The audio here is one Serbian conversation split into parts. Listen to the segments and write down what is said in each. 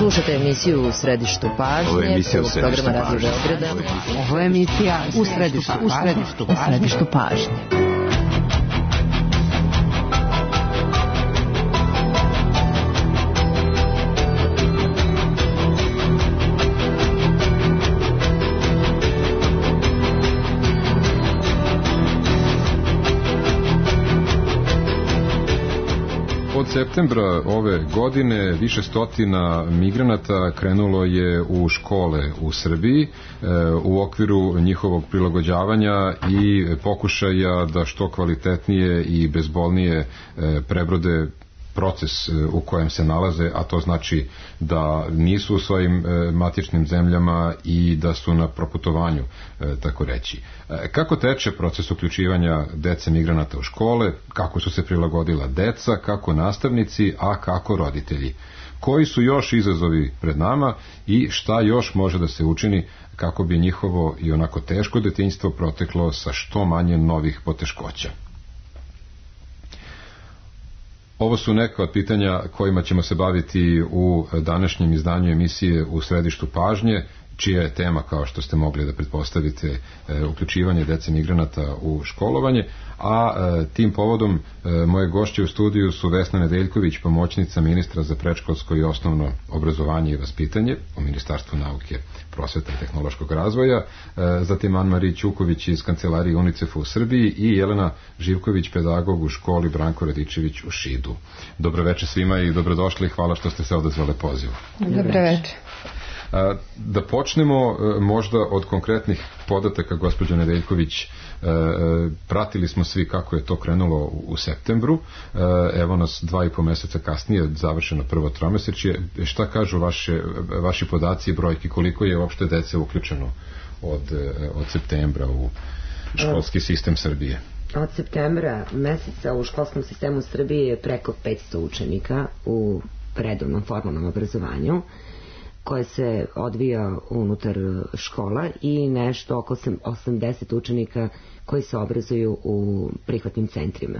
Slušate emisiju U središtu pažnje programa Radio Beograda. Ovo je emisija U središtu pažnje. Od septembra ove godine više stotina migranata krenulo je u škole u Srbiji u okviru njihovog prilagođavanja i pokušaja da što kvalitetnije i bezbolnije prebrode proces u kojem se nalaze, a to znači da nisu u svojim matičnim zemljama i da su na proputovanju, tako reći. Kako teče proces uključivanja dece migranata u škole, kako su se prilagodila deca, kako nastavnici, a kako roditelji? Koji su još izazovi pred nama i šta još može da se učini kako bi njihovo i onako teško detinjstvo proteklo sa što manje novih poteškoća? Ovo su neka od pitanja kojima ćemo se baviti u današnjem izdanju emisije U središtu pažnje, čija je tema, kao što ste mogli da pretpostavite, uključivanje dece migranata u školovanje, a tim povodom moje gošće u studiju su Vesna Nedeljković, pomoćnica ministra za predškolsko i osnovno obrazovanje i vaspitanje u Ministarstvu nauke, prosvete i tehnološkog razvoja, zatim Ann-Marie Ćuković iz kancelarije UNICEF-a u Srbiji i Jelena Živković, pedagog u školi Branko Radičević u Šidu. Dobro večer svima i dobrodošli, hvala što ste se odazvali pozivu. Dobro večer. Da počnemo možda od konkretnih podataka, gospođo Nedeljković. Pratili smo svi kako je to krenulo u septembru, evo nas 2,5 meseca kasnije, završeno prvo tromesečje. Šta kažu vaši podaci i brojki, koliko je uopšte dece uključeno od septembra u školski sistem Srbije? Od septembra meseca u školskom sistemu Srbije je preko 500 učenika u redovnom formalnom obrazovanju koje se odvija unutar škola i nešto oko 80 učenika koji se obrazuju u prihvatnim centrima.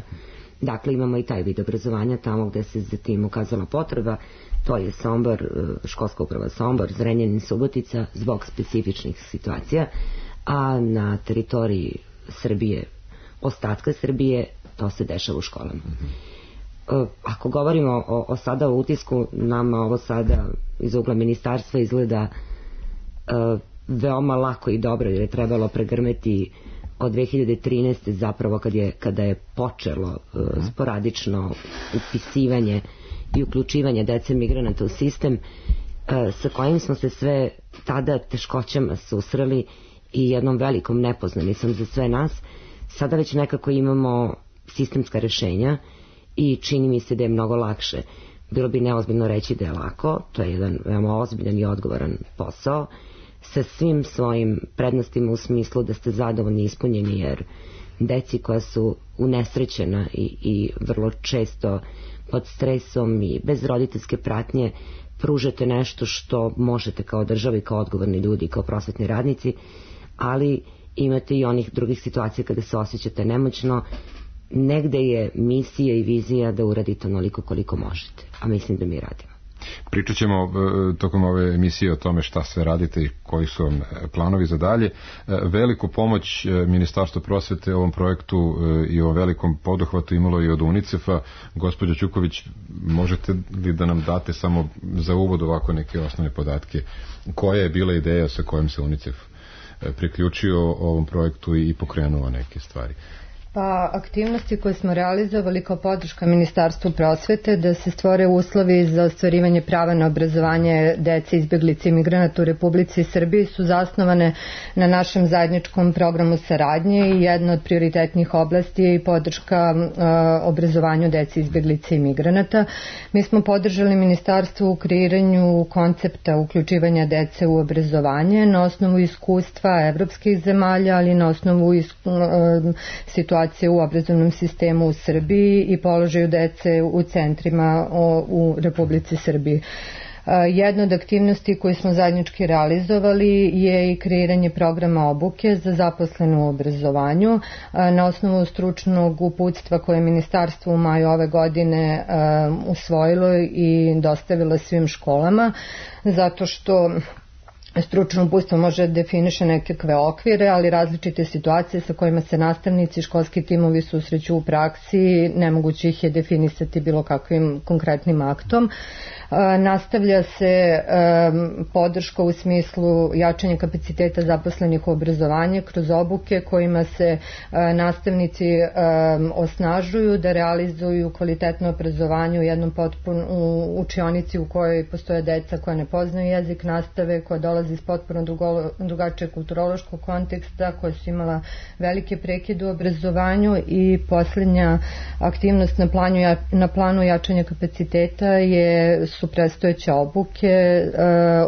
Dakle, imamo i taj vid obrazovanja tamo gde se za tim ukazala potreba, to je Sombor, školska uprava Sombor, Zrenjanin, Subotica, zbog specifičnih situacija, a na teritoriji Srbije, ostatka Srbije, to se dešava u školama. Ako govorimo o sada o utisku, nama ovo sada iz ugla ministarstva izgleda veoma lako i dobro, jer je trebalo pregrmeti od 2013. zapravo kada je počelo sporadično upisivanje i uključivanje dece migranata u sistem, sa kojim smo se sve tada teškoćama susreli i jednom velikom nepoznanicom za sve nas. Sada već nekako imamo sistemska rešenja i čini mi se da je mnogo lakše. Bilo bi neozbiljno reći da je lako, to je jedan veoma ozbiljan i odgovoran posao, sa svim svojim prednostima u smislu da ste zadovoljni i ispunjeni, jer deci koja su unesrećena i vrlo često pod stresom i bez roditeljske pratnje pružate nešto što možete kao država i kao odgovorni ljudi, kao prosvetni radnici, ali imate i onih drugih situacija kada se osjećate nemoćno. Negde je misija i vizija da uradite onoliko koliko možete, a mislim da mi radimo. Pričat ćemo tokom ove emisije o tome šta sve radite i koji su vam planovi za dalje. Veliku pomoć Ministarstvo prosvete ovom projektu i ovom velikom poduhvatu imalo i od UNICEF-a. Gospođo Ćuković, možete li da nam date samo za uvod ovako neke osnovne podatke? Koja je bila ideja sa kojom se UNICEF priključio ovom projektu i pokrenuo neke stvari? Pa, aktivnosti koje smo realizovali kao podrška Ministarstvu prosvete da se stvore uslovi za ostvarivanje prava na obrazovanje dece izbeglica i migranata u Republici Srbiji su zasnovane na našem zajedničkom programu saradnje i jedna od prioritetnih oblasti je i podrška obrazovanju dece izbeglica i migranata. Mi smo podržali Ministarstvo u kreiranju koncepta uključivanja dece u obrazovanje na osnovu iskustva evropskih zemalja, ali na osnovu situacije u obrazovnom sistemu u Srbiji i položaju dece u centrima u Republici Srbiji. Jedna od aktivnosti koje smo zajednički realizovali je i kreiranje programa obuke za zaposlene u obrazovanju na osnovu stručnog uputstva koje je ministarstvo u maju ove godine usvojilo i dostavilo svim školama, zato što stručno uputstvo može definiše nekakve okvire, ali različite situacije sa kojima se nastavnici i školski timovi susreću u praksi, nemoguće ih je definisati bilo kakvim konkretnim aktom. Nastavlja se podrška u smislu jačanja kapaciteta zaposlenih u obrazovanju kroz obuke kojima se nastavnici osnažuju da realizuju kvalitetno obrazovanje u jednom u učionici u kojoj postoje deca koja ne poznaju jezik nastave, koja dolazi iz potpuno drugačijeg kulturološkog konteksta, koja su imala velike prekide u obrazovanju. I posljednja aktivnost na planu jačanja kapaciteta su predstojeće obuke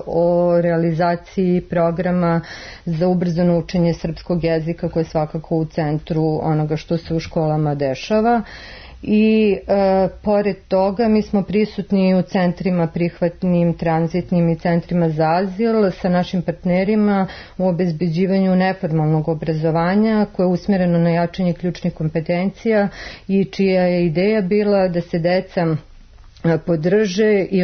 o realizaciji programa za ubrzano učenje srpskog jezika koje je svakako u centru onoga što se u školama dešava. I pored toga mi smo prisutni u centrima prihvatnim, tranzitnim i centrima za azil sa našim partnerima u obezbeđivanju neformalnog obrazovanja koje je usmjereno na jačanje ključnih kompetencija i čija je ideja bila da se deca podrže i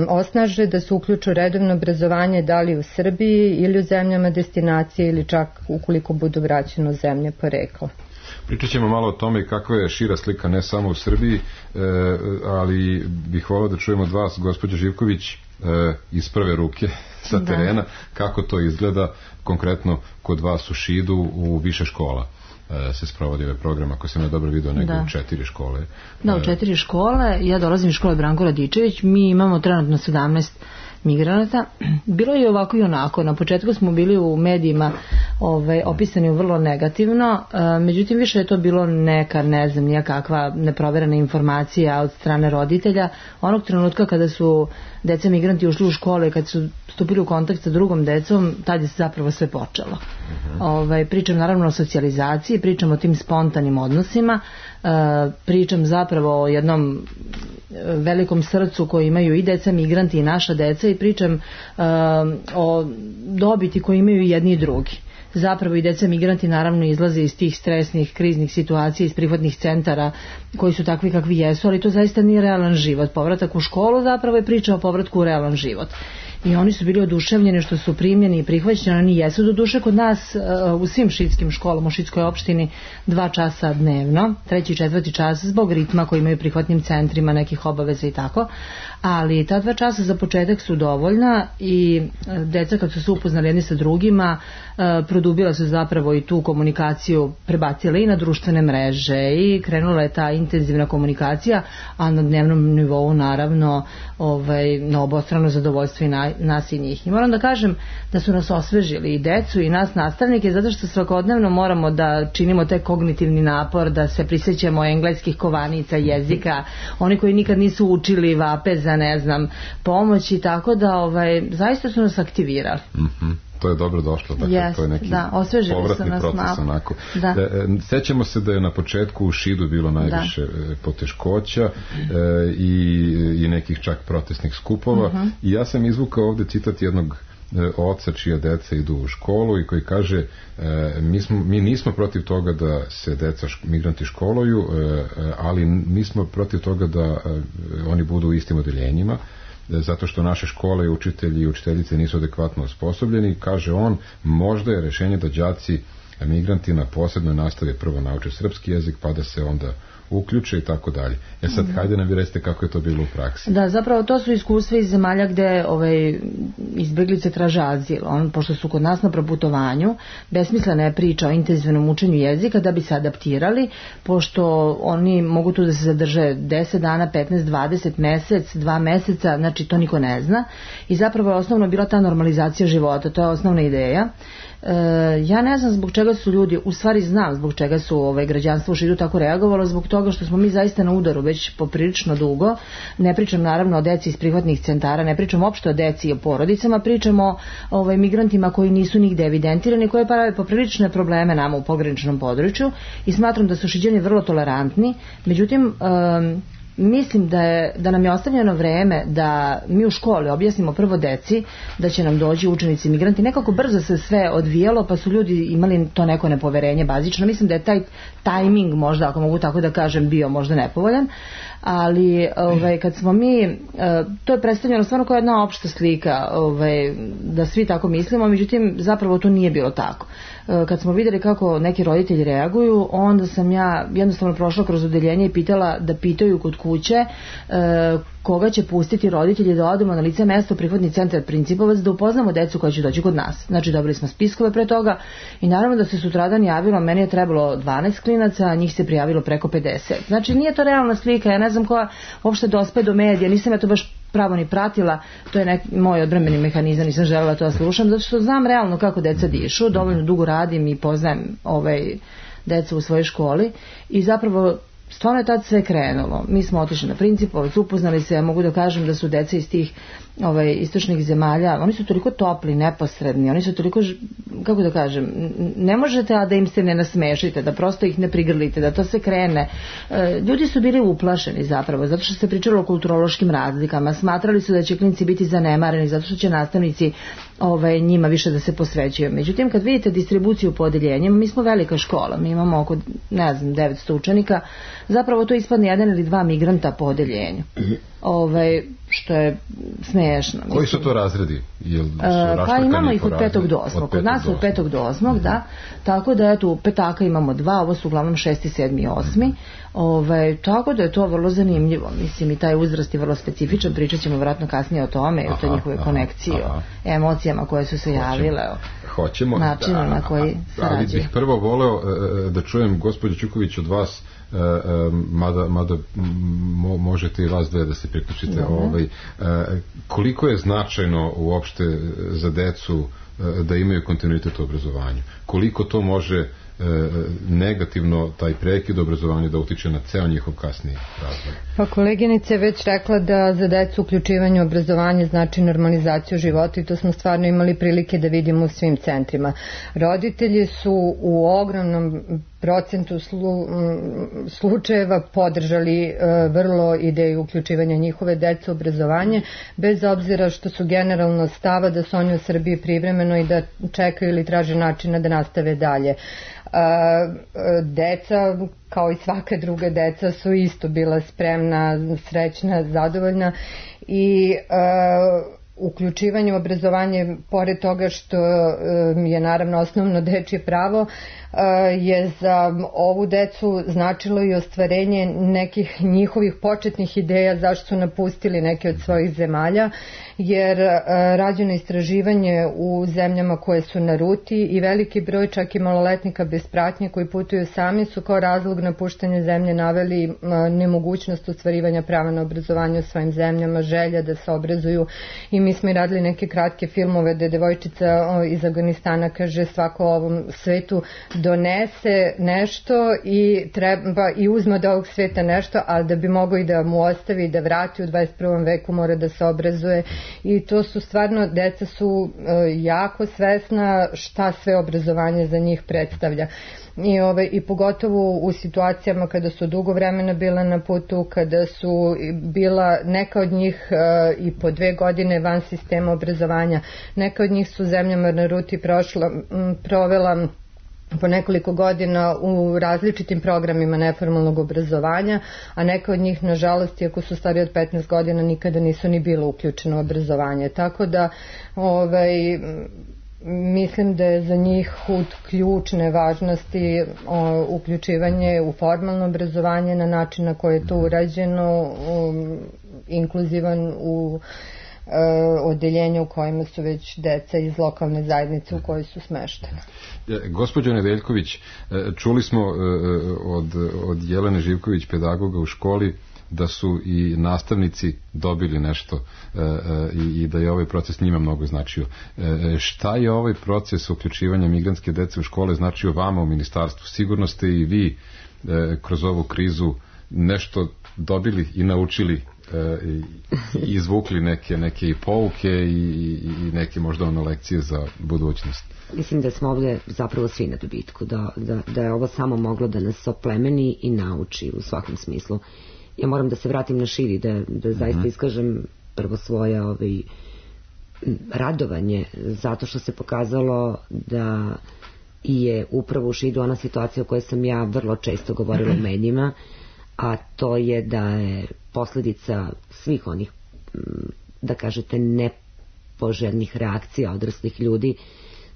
osnaže da se uključu redovno obrazovanje da li u Srbiji ili u zemljama destinacije ili čak ukoliko budu vraćeni u zemlje porekla. Pričat ćemo malo o tome kakva je šira slika ne samo u Srbiji, ali bih volao da čujemo od vas, gospođo Živković, iz prve ruke sa terena, kako to izgleda konkretno kod vas u Šidu u više škola se sprovodi ovaj program, ako sam ja dobro vidio, nego u 4 škole. Da, u 4 škole. Ja dolazim iz škole Branko Radičević. Mi imamo trenutno 17 migranata. Bilo je ovako i onako. Na početku smo bili u medijima opisani vrlo negativno, međutim više je to bilo neka, ne znam, nijakakva neproverena informacija od strane roditelja. Onog trenutka kada su deca migranti ušli u škole, kad su stupili u kontakt sa drugom decom, tad je zapravo sve počelo. Pričam naravno o socijalizaciji, pričam o tim spontanim odnosima, pričam zapravo o jednom velikom srcu koji imaju i deca migranti i naša deca i pričam o dobiti koji imaju i jedni i drugi. Zapravo i deca migranti naravno izlaze iz tih stresnih, kriznih situacija, iz prihvatnih centara koji su takvi kakvi jesu, ali to zaista nije realan život. Povratak u školu zapravo je priča o povratku u realan život. I oni su bili oduševljeni što su primljeni i prihvaćeni, oni jesu do duše kod nas u svim šidskim školama u Šidskoj opštini 2 časa dnevno, 3. i 4. čas zbog ritma koji imaju prihvatnim centrima, nekih obaveza i tako, ali ta 2 časa za početak su dovoljna i deca kad su se upoznali jedni sa drugima produbila su zapravo i tu komunikaciju, prebacila i na društvene mreže i krenula je ta intenzivna komunikacija, a na dnevnom nivou naravno na obostrano zadovoljstvo i nas i njih. I moram da kažem da su nas osvežili i decu i nas nastavnike, zato što svakodnevno moramo da činimo taj kognitivni napor, da se prisjećamo engleskih kovanica, jezika, oni koji nikad nisu učili vape za, ne znam, pomoć i tako da zaista su nas aktivirali. To je dobro došlo, dakle, to je neki povratni proces onako. Sećamo se da je na početku u Šidu bilo najviše poteškoća i nekih čak protestnih skupova i ja sam izvukao ovde citat jednog oca čija deca idu u školu i koji kaže mi nismo protiv toga da se deca migranti školuju, ali nismo protiv toga da oni budu u istim odeljenjima, zato što naše škole, učitelji i učiteljice nisu adekvatno osposobljeni. Kaže on, možda je rešenje da đaci migranti na posebnoj nastavi prvo nauče srpski jezik, pa da se onda uključe i tako dalje. Sad, hajde nam vi recite kako je to bilo u praksi. Da, zapravo to su iskustva iz zemalja gde izbeglice traže azil. Pošto su kod nas na proputovanju, besmislena je priča o intenzivnom učenju jezika da bi se adaptirali, pošto oni mogu tu da se zadrže 10 dana, 15, 20, mesec, 2 meseca, znači to niko ne zna. I zapravo je osnovno bila ta normalizacija života, to je osnovna ideja. Ja ne znam zbog čega su ljudi, u stvari znam zbog čega su građanstvo u Šidu tako reagovalo, zbog toga što smo mi zaista na udaru već poprilično dugo. Ne pričam naravno o deci iz prihvatnih centara, ne pričam uopšte o deci i o porodicama, pričamo o migrantima koji nisu nigde evidentirani, koji prave poprilične probleme nama u pograničnom području i smatram da su Šiđani vrlo tolerantni. Međutim, mislim da nam je ostavljeno vreme da mi u školi objasnimo prvo deci da će nam doći učenici migranti. Nekako brzo se sve odvijalo, pa su ljudi imali to neko nepoverenje bazično. Mislim da je taj tajming možda, ako mogu tako da kažem, bio možda nepovoljan, ali kad smo mi, to je predstavljeno stvarno kao jedna opšta slika, da svi tako mislimo, međutim zapravo to nije bilo tako. Kad smo vidjeli kako neki roditelji reaguju, onda sam ja jednostavno prošla kroz odeljenje i pitala da pitaju kod kuće koga će pustiti roditelji da odemo na lice mesta u prihvatni centar Principovac da upoznamo decu koja će doći kod nas. Znači dobili smo spiskove pre toga i naravno da se sutradan javilo, meni je trebalo 12 klinaca, a njih se prijavilo preko 50. Znači nije to realna slika, ja ne znam koja uopšte dospe do medija, nisam ja to baš pravo ni pratila, to je moj odbrambeni mehanizam, nisam želela to da slušam, zato što znam realno kako deca dišu, dovoljno dugo radim i poznajem decu u svojoj školi i zapravo stvarno je tad sve krenulo. Mi smo otišli na Principovac, upoznali se, ja mogu da kažem da su deca iz tih istočnih zemalja, oni su toliko topli, neposredni, oni su toliko, kako da kažem, ne možete da im se ne nasmešite, da prosto ih ne prigrlite, da to se krene. Ljudi su bili uplašeni zapravo, zato što se pričalo o kulturološkim razlikama, smatrali su da će klinci biti zanemareni, zato što će nastavnici njima više da se posvećuju. Međutim, kad vidite distribuciju po odeljenjima, mi smo velika škola, mi imamo oko, 900 učenika, zapravo to ispadne 1 ili 2 migranta po odeljenju. Što je smiješno. Koji su to razredi? Pa imamo ih od 5. do 8. Kod nas od 5. do 8. da. Tako da eto, petaka imamo 2, ovo su uglavnom 6., 7. i 8. Tako da je to vrlo zanimljivo. Mislim i taj uzrast je vrlo specifičan, pričat ćemo vjerojatno kasnije o tome, o toj njihove konekcije, o emocijama koje su se javile, o načinu na koji sarađuju. Ali bih prvo voleo da čujem, gospođo Ćuković, od vas, mada možete i vas dve da se priključite, koliko je značajno uopšte za decu da imaju kontinuitet u obrazovanju? Koliko to može negativno taj prekid obrazovanja da utiče na ceo njihov kasniji razvoj? Pa koleginica je već rekla da za decu uključivanje u obrazovanje znači normalizaciju života i to smo stvarno imali prilike da vidimo u svim centrima. Roditelji su u ogromnom procentu slučajeva podržali vrlo ideju uključivanja njihove dece u obrazovanje, bez obzira što su generalno stava da su oni u Srbiji privremeno i da čekaju ili traže načina da nastave dalje. Deca, kao i svaka druga deca, su isto bila spremna, srećna, zadovoljna i uključivanje u obrazovanje, pored toga što je naravno osnovno dečje pravo, je za ovu decu značilo i ostvarenje nekih njihovih početnih ideja zašto su napustili neke od svojih zemalja, jer rađeno istraživanje u zemljama koje su na ruti i veliki broj čak i maloletnika bez pratnje koji putuju sami su kao razlog napuštanja zemlje naveli nemogućnost ostvarivanja prava na obrazovanje u svojim zemljama, želja da se obrazuju. I mi smo i radili neke kratke filmove da devojčica iz Afganistana kaže svako ovom svetu donese nešto i uzme od ovog sveta nešto, ali da bi mogao i da mu ostavi, da vrati u 21. veku mora da se obrazuje i to su stvarno, deca su jako svesna šta sve obrazovanje za njih predstavlja. I pogotovo u situacijama kada su dugo vremena bila na putu, kada su bila neka od njih i po 2 godine van sistema obrazovanja, neka od njih su zemljama na ruti provela po nekoliko godina u različitim programima neformalnog obrazovanja, a neka od njih, nažalost, iako su stari od 15 godina, nikada nisu ni bilo uključeno u obrazovanje. Tako da mislim da je za njih od ključne važnosti uključivanje u formalno obrazovanje na način na koji je to urađeno, inkluzivan u odeljenja u kojima su već deca iz lokalne zajednice u kojoj su smeštene. Gospođo Nedeljković, čuli smo od Jelene Živković, pedagoga u školi, da su i nastavnici dobili nešto i da je ovaj proces njima mnogo značio. Šta je ovaj proces uključivanja migrantske dece u škole značio vama u ministarstvu? Sigurno ste i vi kroz ovu krizu nešto dobili i naučili i izvukli neke i pouke i neke možda lekcije za budućnost. Mislim da smo ovdje zapravo svi na dobitku, da je ovo samo moglo da nas oplemeni i nauči u svakom smislu. ja moram da se vratim na Šid i da zaista iskažem prvo svoje radovanje, zato što se pokazalo da je upravo u Šidu ona situacija o kojoj sam ja vrlo često govorila u medijima, a to je da je posljedica svih onih, da kažete, nepoželjnih reakcija odraslih ljudi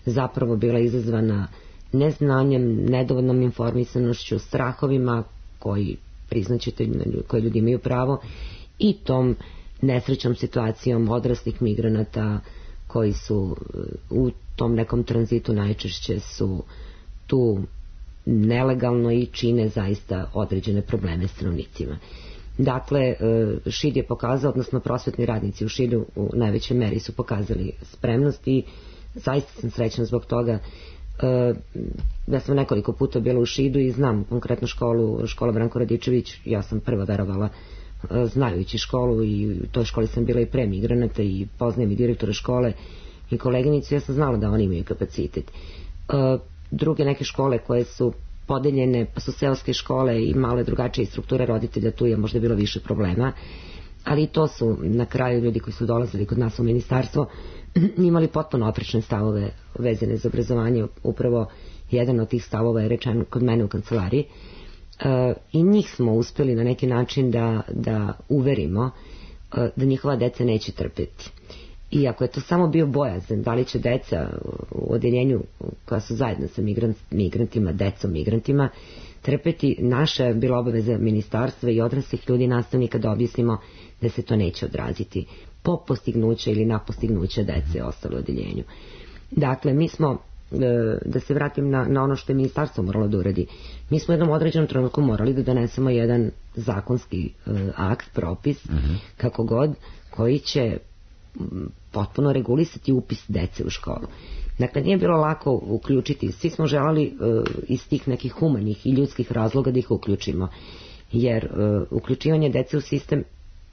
zapravo bila izazvana neznanjem, nedovoljnom informisanošću, strahovima koji, priznaćete, koji ljudi imaju pravo, i tom nesrećnom situacijom odraslih migranata koji su u tom nekom tranzitu najčešće su tu nelegalno i čine zaista određene probleme stanovnicima. Dakle, Šid je pokazao, odnosno prosvetni radnici u Šidu u najvećoj meri su pokazali spremnost i zaista sam srećna zbog toga. Ja sam nekoliko puta bila u Šidu i znam konkretno škola Branko Radičević, ja sam prva verovala znajući školu i u toj školi sam bila i pre migranata i poznajem i direktora škole i koleginicu, ja sam znala da oni imaju kapacitet. Druge neke škole koje su podeljene, pa su seoske škole i male drugačije strukture roditelja, tu je možda bilo više problema, ali i to su na kraju ljudi koji su dolazili kod nas u ministarstvo imali potpuno oprečne stavove vezane za obrazovanje. Upravo jedan od tih stavova je rečen kod mene u kancelariji i njih smo uspeli na neki način da uverimo da njihova deca neće trpeti. I ako je to samo bio bojazan, da li će deca u odeljenju koja su zajedno sa migrantima, decom migrantima, trpeti, naša je bila obaveza ministarstva i odraslih ljudi, nastavnika, da objasnimo da se to neće odraziti po postignuće ili na postignuće dece ostalo u odeljenju. Dakle, mi smo, da se vratim na ono što je ministarstvo moralo da uradi, mi smo u jednom određenom trenutku morali da donesemo jedan zakonski akt, propis, kako god, koji će potpuno regulisati upis dece u školu. Dakle, nije bilo lako uključiti, svi smo želali iz tih nekih humanih i ljudskih razloga da ih uključimo, jer uključivanje dece u sistem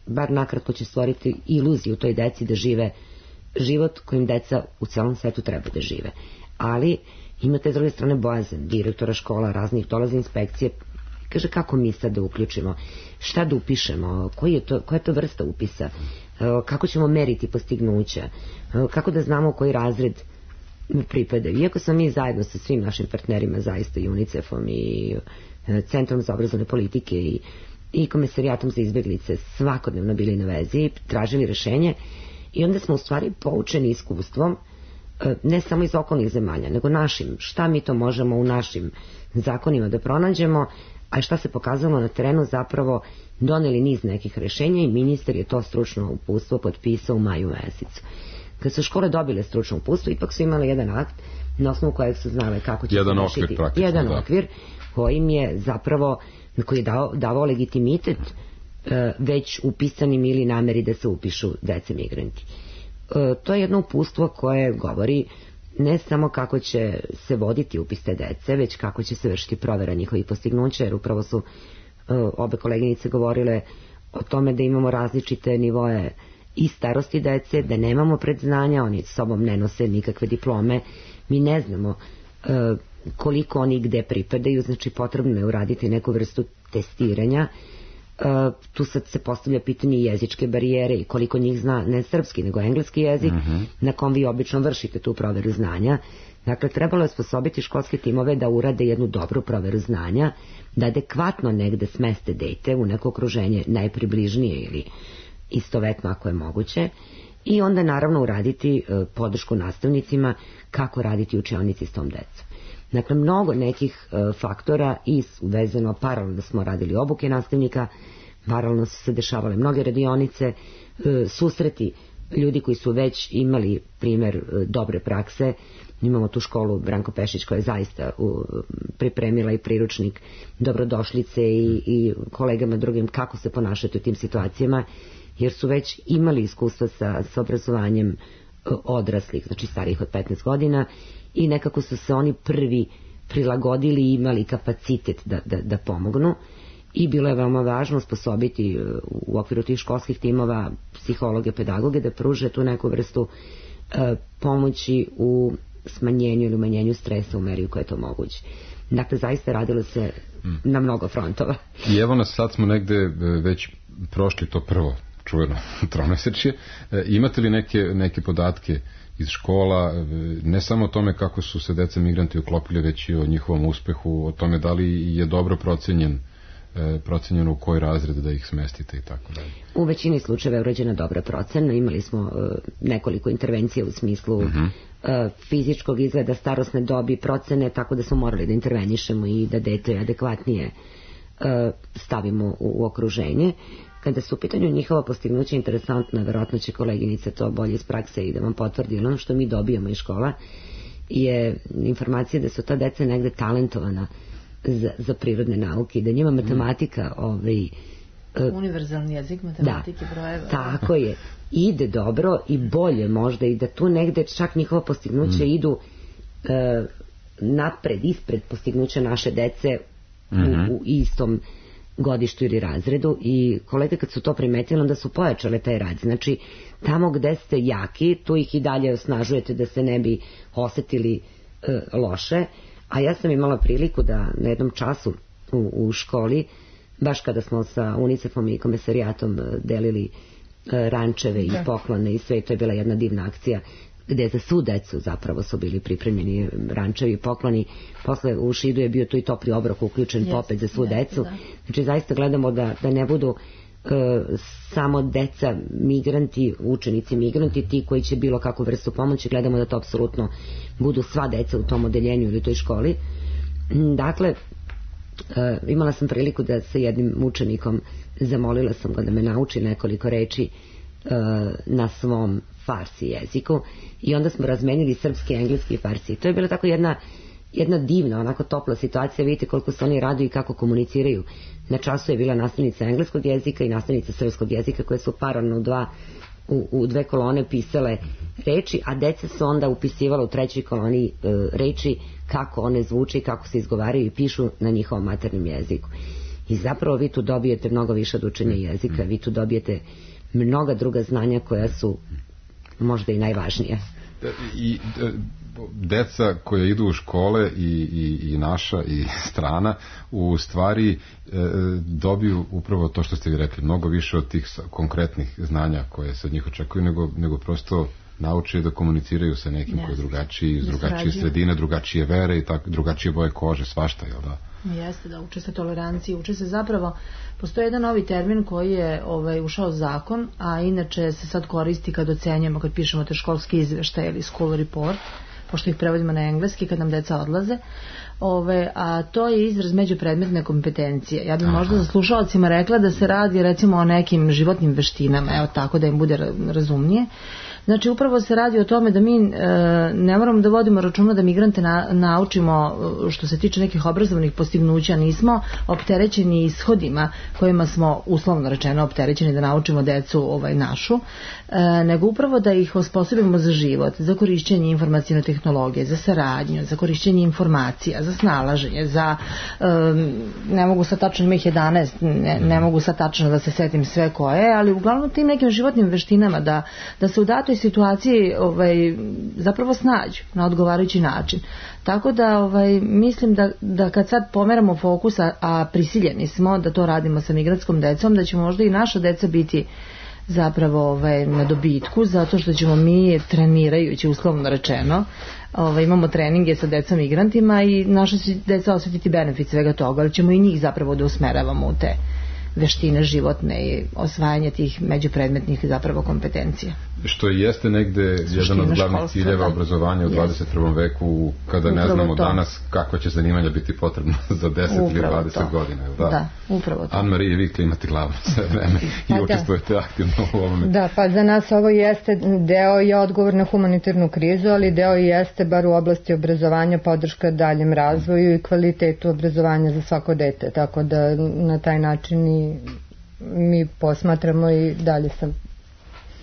bar nakratko će stvoriti iluziju toj deci da žive život kojim deca u celom svetu treba da žive. Ali imate s druge strane bojazan direktora škola, raznih, dolaze inspekcije, kaže kako mi sad da uključimo, šta da upišemo, koja je to vrsta upisa, kako ćemo meriti postignuća, kako da znamo koji razred pripadaju. Iako smo mi zajedno sa svim našim partnerima, zaista i UNICEF-om i Centrom za obrazovne politike i Komisarijatom za izbjeglice svakodnevno bili na vezi, tražili rešenje i onda smo u stvari poučeni iskustvom, ne samo iz okolnih zemalja, nego našim, šta mi to možemo u našim zakonima da pronađemo, a šta se pokazalo na terenu, zapravo doneli niz nekih rešenja i ministar je to stručno uputstvo potpisao u maju mesecu. Kad su škole dobile stručno uputstvo, ipak su imali jedan akt na osnovu kojeg su znale kako će jedan se okvir, rešiti. Jedan okvir kojim je zapravo, koji je davao legitimitet već upisanim ili nameri da se upišu dece migranti. To je jedno uputstvo koje govori ne samo kako će se voditi upis te dece, već kako će se vršiti provera njihovih postignuća, jer upravo su obe koleginice govorile o tome da imamo različite nivoe i starosti dece, da nemamo predznanja, oni s sobom ne nose nikakve diplome, mi ne znamo koliko oni gde pripadaju, znači potrebno je uraditi neku vrstu testiranja. Tu sad se postavlja pitanje jezičke barijere i koliko njih zna ne srpski nego engleski jezik, na kom vi obično vršite tu proveru znanja. Dakle, trebalo je sposobiti školske timove da urade jednu dobru proveru znanja, da adekvatno negde smeste dete u neko okruženje najpribližnije ili istovetno ako je moguće, i onda naravno uraditi podršku nastavnicima kako raditi učionici s tom decom. Dakle, mnogo nekih faktora i vezano paralelno smo radili obuke nastavnika, paralelno su se dešavale mnoge radionice, susreti ljudi koji su već imali primer dobre prakse. Imamo tu školu Branko Pešić koja je zaista pripremila i priručnik dobrodošlice i kolegama drugim kako se ponašati u tim situacijama, jer su već imali iskustva sa obrazovanjem odraslih, znači starijih od 15 godina, i nekako su se oni prvi prilagodili i imali kapacitet da pomognu, i bilo je veoma važno sposobiti u okviru tih školskih timova psihologe, pedagoge da pruže tu neku vrstu pomoći u smanjenju ili umanjenju stresa u meri u kojoj je to moguće. Dakle, zaista radilo se na mnogo frontova. I evo nas, sad smo negde već prošli to prvo čuveno tromesečje. Imate li neke podatke iz škola, ne samo o tome kako su se deca migranti uklopili, već i o njihovom uspehu, o tome da li je dobro procenjeno u koji razred da ih smestite i tako dalje? U većini slučajeva je urađena dobra procena. Imali smo nekoliko intervencija u smislu fizičkog izgleda, starosne dobi, procene, tako da smo morali da intervenišemo i da dete adekvatnije stavimo u okruženje. Kada su u pitanju njihova postignuća interesantna, verovatno će koleginica to bolje iz prakse i da vam potvrdi, ono što mi dobijamo iz škola je informacija da su ta deca negde talentovana za prirodne nauke i da njima matematika univerzalni jezik matematike brojeva. Tako je, ide dobro i bolje možda i da tu negde čak njihova postignuća idu napred, ispred postignuća naše dece u istom godištu ili razredu i kolege kad su to primetili onda su pojačale taj rad. Znači tamo gde ste jaki tu ih i dalje osnažujete da se ne bi osetili loše, a ja sam imala priliku da na jednom času u školi, baš kada smo sa UNICEF-om i komesarijatom delili rančeve i poklone i sve, to je bila jedna divna akcija gde za svu decu zapravo su bili pripremljeni rančevi i pokloni. Posle u Šidu je bio tu i topli obrok uključen popet za svu decu. Znači zaista gledamo da ne budu samo deca migranti, učenici migranti, ti koji će bilo kakvu vrstu pomoći, gledamo da to apsolutno budu sva deca u tom odeljenju ili toj školi. Dakle, imala sam priliku da sa jednim učenikom zamolila sam ga da me nauči nekoliko reči na svom farsi jeziku i onda smo razmenili srpski, engleski i farsi. To je bila tako jedna divna, onako topla situacija. Vidite koliko se oni raduju i kako komuniciraju. Na času je bila nastavnica engleskog jezika i nastavnica srpskog jezika koje su paralelno u dve kolone pisale reči, a deca su onda upisivala u trećoj koloni reči kako one zvuče i kako se izgovaraju i pišu na njihovom maternjem jeziku. I zapravo vi tu dobijete mnogo više od učenja jezika, vi tu dobijete mnoga druga znanja koja su možda i najvažnija. I deca koja idu u škole i naša i strana u stvari dobiju upravo to što ste vi rekli, mnogo više od tih konkretnih znanja koje se od njih očekuju, nego prosto nauče da komuniciraju sa nekim koji je drugačiji, iz drugačije sredine, drugačije vere i tako, drugačije boje kože, svašta, jel da? Jeste, da uče se toleranciji, uče se zapravo, postoji jedan novi termin koji je ušao zakon, a inače se sad koristi kad ocenjujemo, kad pišemo te školske izveštaje ili school report, pošto ih prevodimo na engleski kad nam deca odlaze, a to je izraz međupredmetne kompetencije. Ja bih možda za slušalcima rekla da se radi recimo o nekim životnim veštinama, evo tako da im bude razumnije. Znači upravo se radi o tome da mi ne moramo da vodimo računa da migrante naučimo što se tiče nekih obrazovnih postignuća, nismo opterećeni ishodima kojima smo uslovno rečeno opterećeni da naučimo decu našu, nego upravo da ih osposobimo za život, za korišćenje informacijne tehnologije, za saradnju, za korišćenje informacija, za snalaženje, za ne mogu sad tačno, ima ih 11, ne mogu sad tačno da se setim sve koje, ali uglavnom tim nekim životnim veštinama da se u datoj situaciji zapravo snađu na odgovarajući način. Tako da mislim da kad sad pomeramo fokus, a prisiljeni smo da to radimo sa migrantskom decom, da će možda i naša deca biti zapravo na dobitku, zato što ćemo mi trenirajući, uslovno rečeno, imamo treninge sa decom migrantima i naša će deca osjetiti benefit svega toga, ali ćemo i njih zapravo da usmeravamo u te veštine životne i osvajanje tih međupredmetnih zapravo kompetencija. Što jeste negde jedan od glavnih ciljeva obrazovanja u 21. veku, kada ne znamo danas kakva će zanimanja biti potrebna za 10 ili 20 godina. Da, upravo to. Anne-Marie, vi klimate glavom sve vreme i učestvujete aktivno u ovome. Da, pa za nas ovo jeste deo i odgovor na humanitarnu krizu, ali deo i jeste bar u oblasti obrazovanja podrška daljem razvoju i kvalitetu obrazovanja za svako dete, tako da na taj način i mi posmatramo i dalje sam.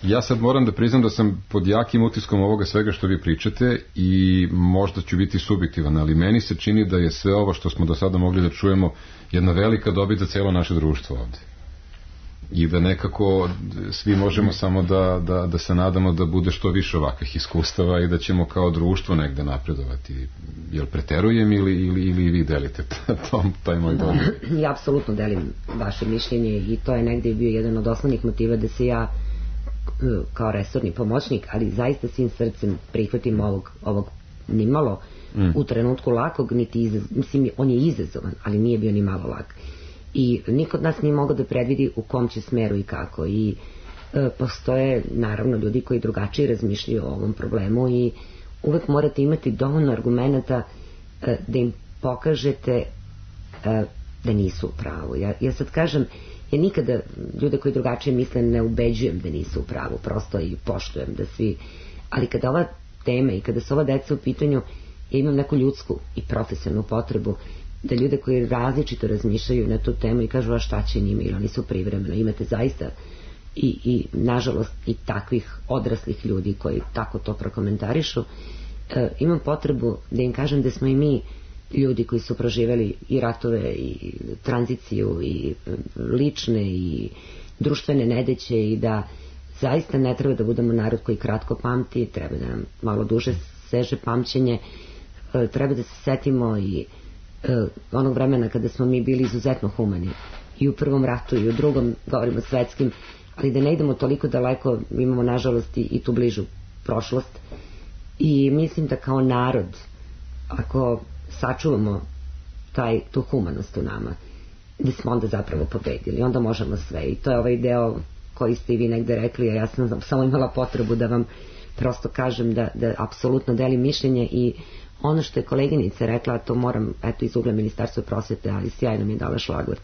Ja sad moram da priznam da sam pod jakim utiskom ovoga svega što vi pričate i možda ću biti subjektivan, ali meni se čini da je sve ovo što smo do sada mogli da čujemo jedna velika dobit za cijelo naše društvo ovde. i da nekako svi možemo samo da se nadamo da bude što više ovakvih iskustava i da ćemo kao društvo negde napredovati. Jel preterujem ili vi delite taj moj dogovor? Ja apsolutno delim vaše mišljenje i to je negde bio jedan od osnovnih motiva da se ja kao resorni pomoćnik, ali zaista svim srcem prihvatim ovog nimalo u trenutku lakog, mislim, on je izazovan, ali nije bio ni malo lak. I niko od nas nije mogao da predvidi u kom će smeru i kako. I postoje, naravno, ljudi koji drugačije razmišljaju o ovom problemu i uvek morate imati dovoljno argumenta da im pokažete da nisu u pravu. Ja sad kažem, ja nikada ljude koji drugačije misle ne ubeđujem da nisu u pravu, prosto i poštujem da svi, ali kada ova tema i kada su ova deca u pitanju, ja imam neku ljudsku i profesionalnu potrebu da ljude koji različito razmišljaju na tu temu i kažu a šta će njima ili oni su privremeno, imate zaista i nažalost i takvih odraslih ljudi koji tako to prokomentarišu, imam potrebu da im kažem da smo i mi ljudi koji su proživeli i ratove i tranziciju i lične i društvene nedeće i da zaista ne treba da budemo narod koji kratko pamti, treba da nam malo duže seže pamćenje, treba da se setimo i onog vremena kada smo mi bili izuzetno humani i u prvom ratu i u drugom, govorimo svetskim, ali da ne idemo toliko daleko, imamo nažalost i tu bližu prošlost i mislim da kao narod, ako sačuvamo tu humanost u nama, da smo onda zapravo pobedili, onda možemo sve i to je ovaj deo koji ste i vi negde rekli, a ja sam samo imala potrebu da vam prosto kažem da apsolutno delim mišljenje i ono što je koleginica rekla, to moram, eto iz ugla Ministarstva prosvete, ali sjajno mi je dala šlagvort.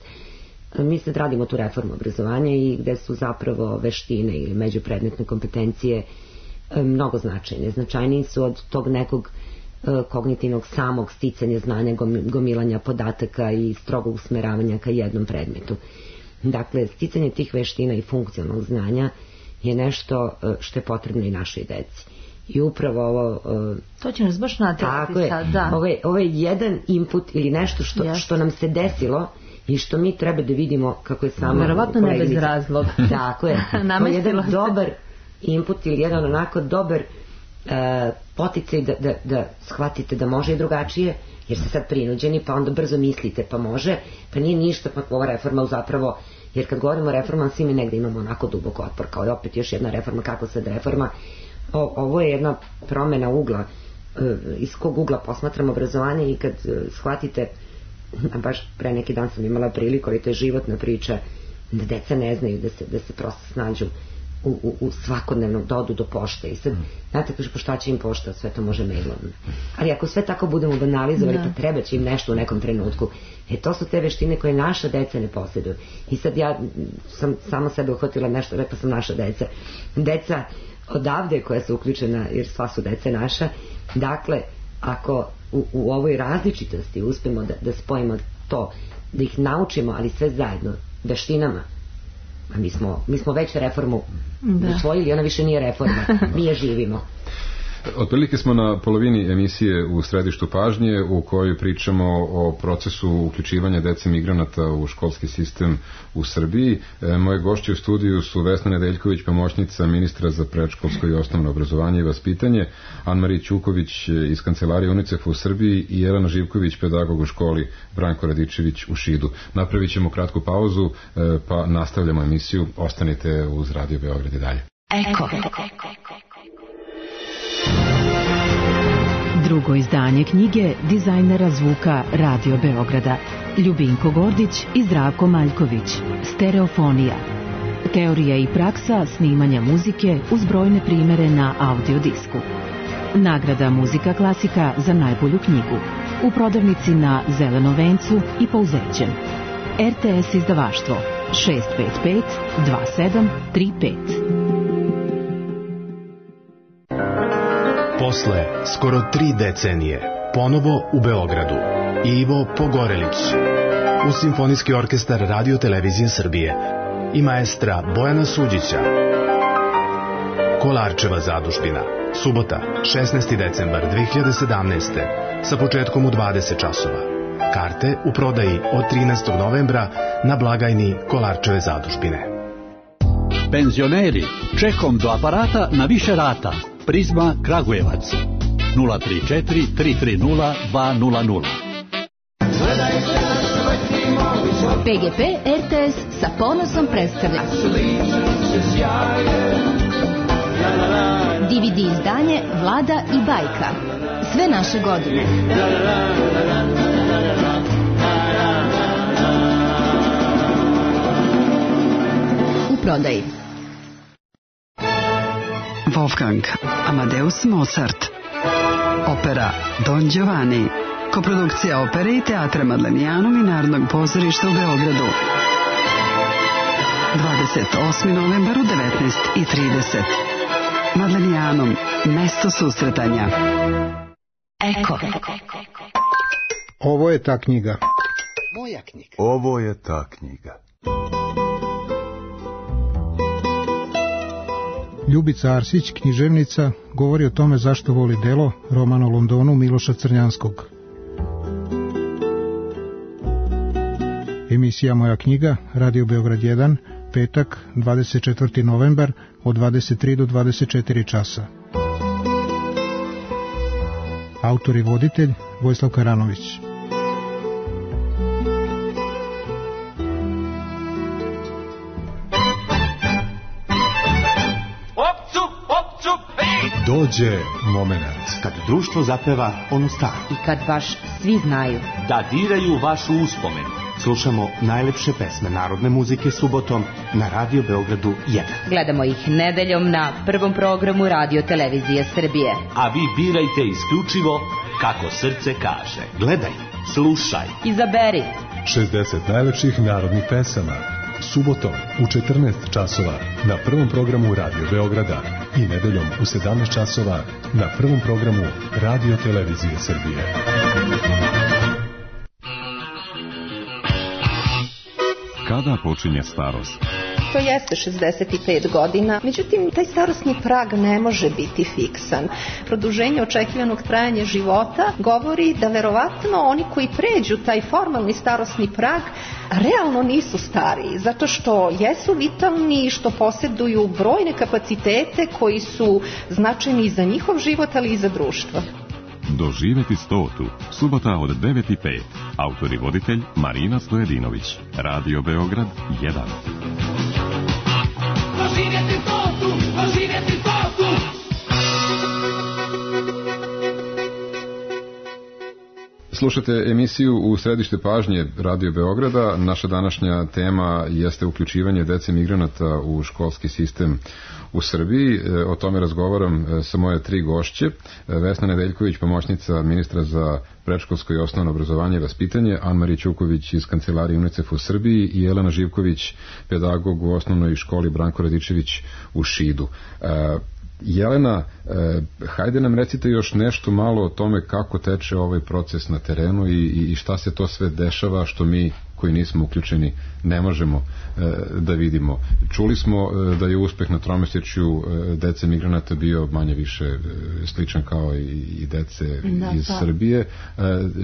Mi sad radimo tu reformu obrazovanja i gde su zapravo veštine ili međupredmetne kompetencije mnogo značajne. Značajniji su od tog nekog kognitivnog samog sticanja znanja, gomilanja podataka i strogog usmeravanja ka jednom predmetu. Dakle, sticanje tih veština i funkcionalnog znanja je nešto što je potrebno i našoj deci. I upravo ovo... to će nas baš naterati sad, da. Ovo je jedan input ili nešto što nam se desilo i što mi treba da vidimo kako je samo... Verovatno ne bez razloga. Tako je. To je jedan dobar input ili jedan onako dobar poticaj da shvatite da može i drugačije, jer ste sad prinuđeni, pa onda brzo mislite, pa može, pa nije ništa, pa ova reforma zapravo, jer kad govorimo o reformama, svi mi negde imamo onako dubok otpor, kao je opet još jedna reforma, kako sad reforma. Ovo je jedna promena ugla, iz kog ugla posmatram obrazovanje i kad shvatite, baš pre neki dan sam imala priliku, ali to je životna priča, da deca ne znaju da se prosto snađu u svakodnevnom dodu do pošte i sad, znate, kaže, po šta će im pošta, sve to može mailom, ali ako sve tako budemo banalizovali, pa treba će im nešto u nekom trenutku, to su te veštine koje naša deca ne posjeduju. I sad ja sam samo sebe uhvatila nešto, rekla sam naša deca odavde koja su uključena, jer sva su deca naša. Dakle, ako u ovoj različitosti uspemo da spojimo to, da ih naučimo, ali sve zajedno veštinama, a mi smo već reformu usvojili, ona više nije reforma, mi je živimo. Otprilike smo na polovini emisije u središtu pažnje u kojoj pričamo o procesu uključivanja dece migranata u školski sistem u Srbiji. Moje gošće u studiju su Vesna Nedeljković, pomoćnica ministra za predškolsko i osnovno obrazovanje i vaspitanje, Anmarija Ćuković iz kancelarije UNICEF-a u Srbiji i Jelena Živković, pedagog u školi Branko Radičević u Šidu. Napravit ćemo kratku pauzu, pa nastavljamo emisiju. Ostanite uz Radio Beograd i dalje. Drugo izdanje knjige dizajnera zvuka Radio Beograda Ljubinko Gordić i Zdravko Maljković. Stereofonija. Teorija i praksa snimanja muzike uz brojne primere na audiodisku. Nagrada Muzika klasika za najbolju knjigu. U prodavnici na Zelenom vencu i Pouzećem. RTS izdavaštvo 655 2735. Posle skoro 3 decenije, ponovo u Beogradu, Ivo Pogorelić, uz Simfonijski orkestar Radio Televizije Srbije i maestra Bojana Suđića. Kolarčeva zadužbina, subota, 16. decembar 2017. sa početkom u 20 časova. Karte u prodaji od 13. novembra na blagajni Kolarčeve zadužbine. Penzioneri, čekom do aparata na više rata. Prizma Kragujevac 034 330 200. PGP RTS sa ponosom predstavlja DVD izdanje Vlada i bajka. Sve naše godine. U prodaji. Wolfgang Amadeus Mozart. Opera Don Giovanni. Koprodukcija opere i teatra Madlenijanum i Narodnog pozorišta u Beogradu. 28. novembar u 19:30. Madlenijanum, mesto susretanja. Eko. Ovo je ta knjiga. Moja knjiga. Ovo je ta knjiga. Ljubica Arsić, književnica, govori o tome zašto voli delo, roman o Londonu Miloša Crnjanskog. Emisija Moja knjiga, Radio Beograd 1, petak, 24. novembar, od 23 do 24 časa. Autor i voditelj Vojislav Karanović. Dođe moment kad društvo zapeva ono staro i kad baš svi znaju da diraju vašu uspomen. Slušamo najlepše pesme narodne muzike subotom na Radio Beogradu 1. Gledamo ih nedeljom na prvom programu Radio Televizije Srbije. A vi birajte isključivo kako srce kaže. Gledaj, slušaj, izaberi 60 najlepših narodnih pesama. Subotom u 14 časova na prvom programu Radio Beograda i nedeljom u 17 časova na prvom programu Radio Televizije Srbije. Kada počinje starost? To jeste 65 godina, međutim, taj starosni prag ne može biti fiksan. Produženje očekivanog trajanja života govori da verovatno oni koji pređu taj formalni starosni prag realno nisu stariji, zato što jesu vitalni i što posjeduju brojne kapacitete koji su značajni i za njihov život, ali i za društvo. Doživeti 100. Subota od 9:05. Autor i voditelj Marina Stojedinović. Radio Beograd 1. Doživjeti 100. Doživjeti 100. Slušate emisiju U središte pažnje Radio Beograda. Naša današnja tema jeste uključivanje dece migranata u školski sistem u Srbiji. O tome razgovaram sa moje 3 gošće. Vesna Nedeljković, pomoćnica ministra za predškolsko i osnovno obrazovanje i vaspitanje, Anmarija Ćuković iz kancelarije UNICEF u Srbiji i Jelena Živković, pedagog u osnovnoj školi Branko Radičević u Šidu. Jelena, hajde nam recite još nešto malo o tome kako teče ovaj proces na terenu i šta se to sve dešava što mi koji nismo uključeni ne možemo da vidimo. Čuli smo da je uspeh na tromesečju dece migranata bio manje više sličan kao i dece iz Srbije.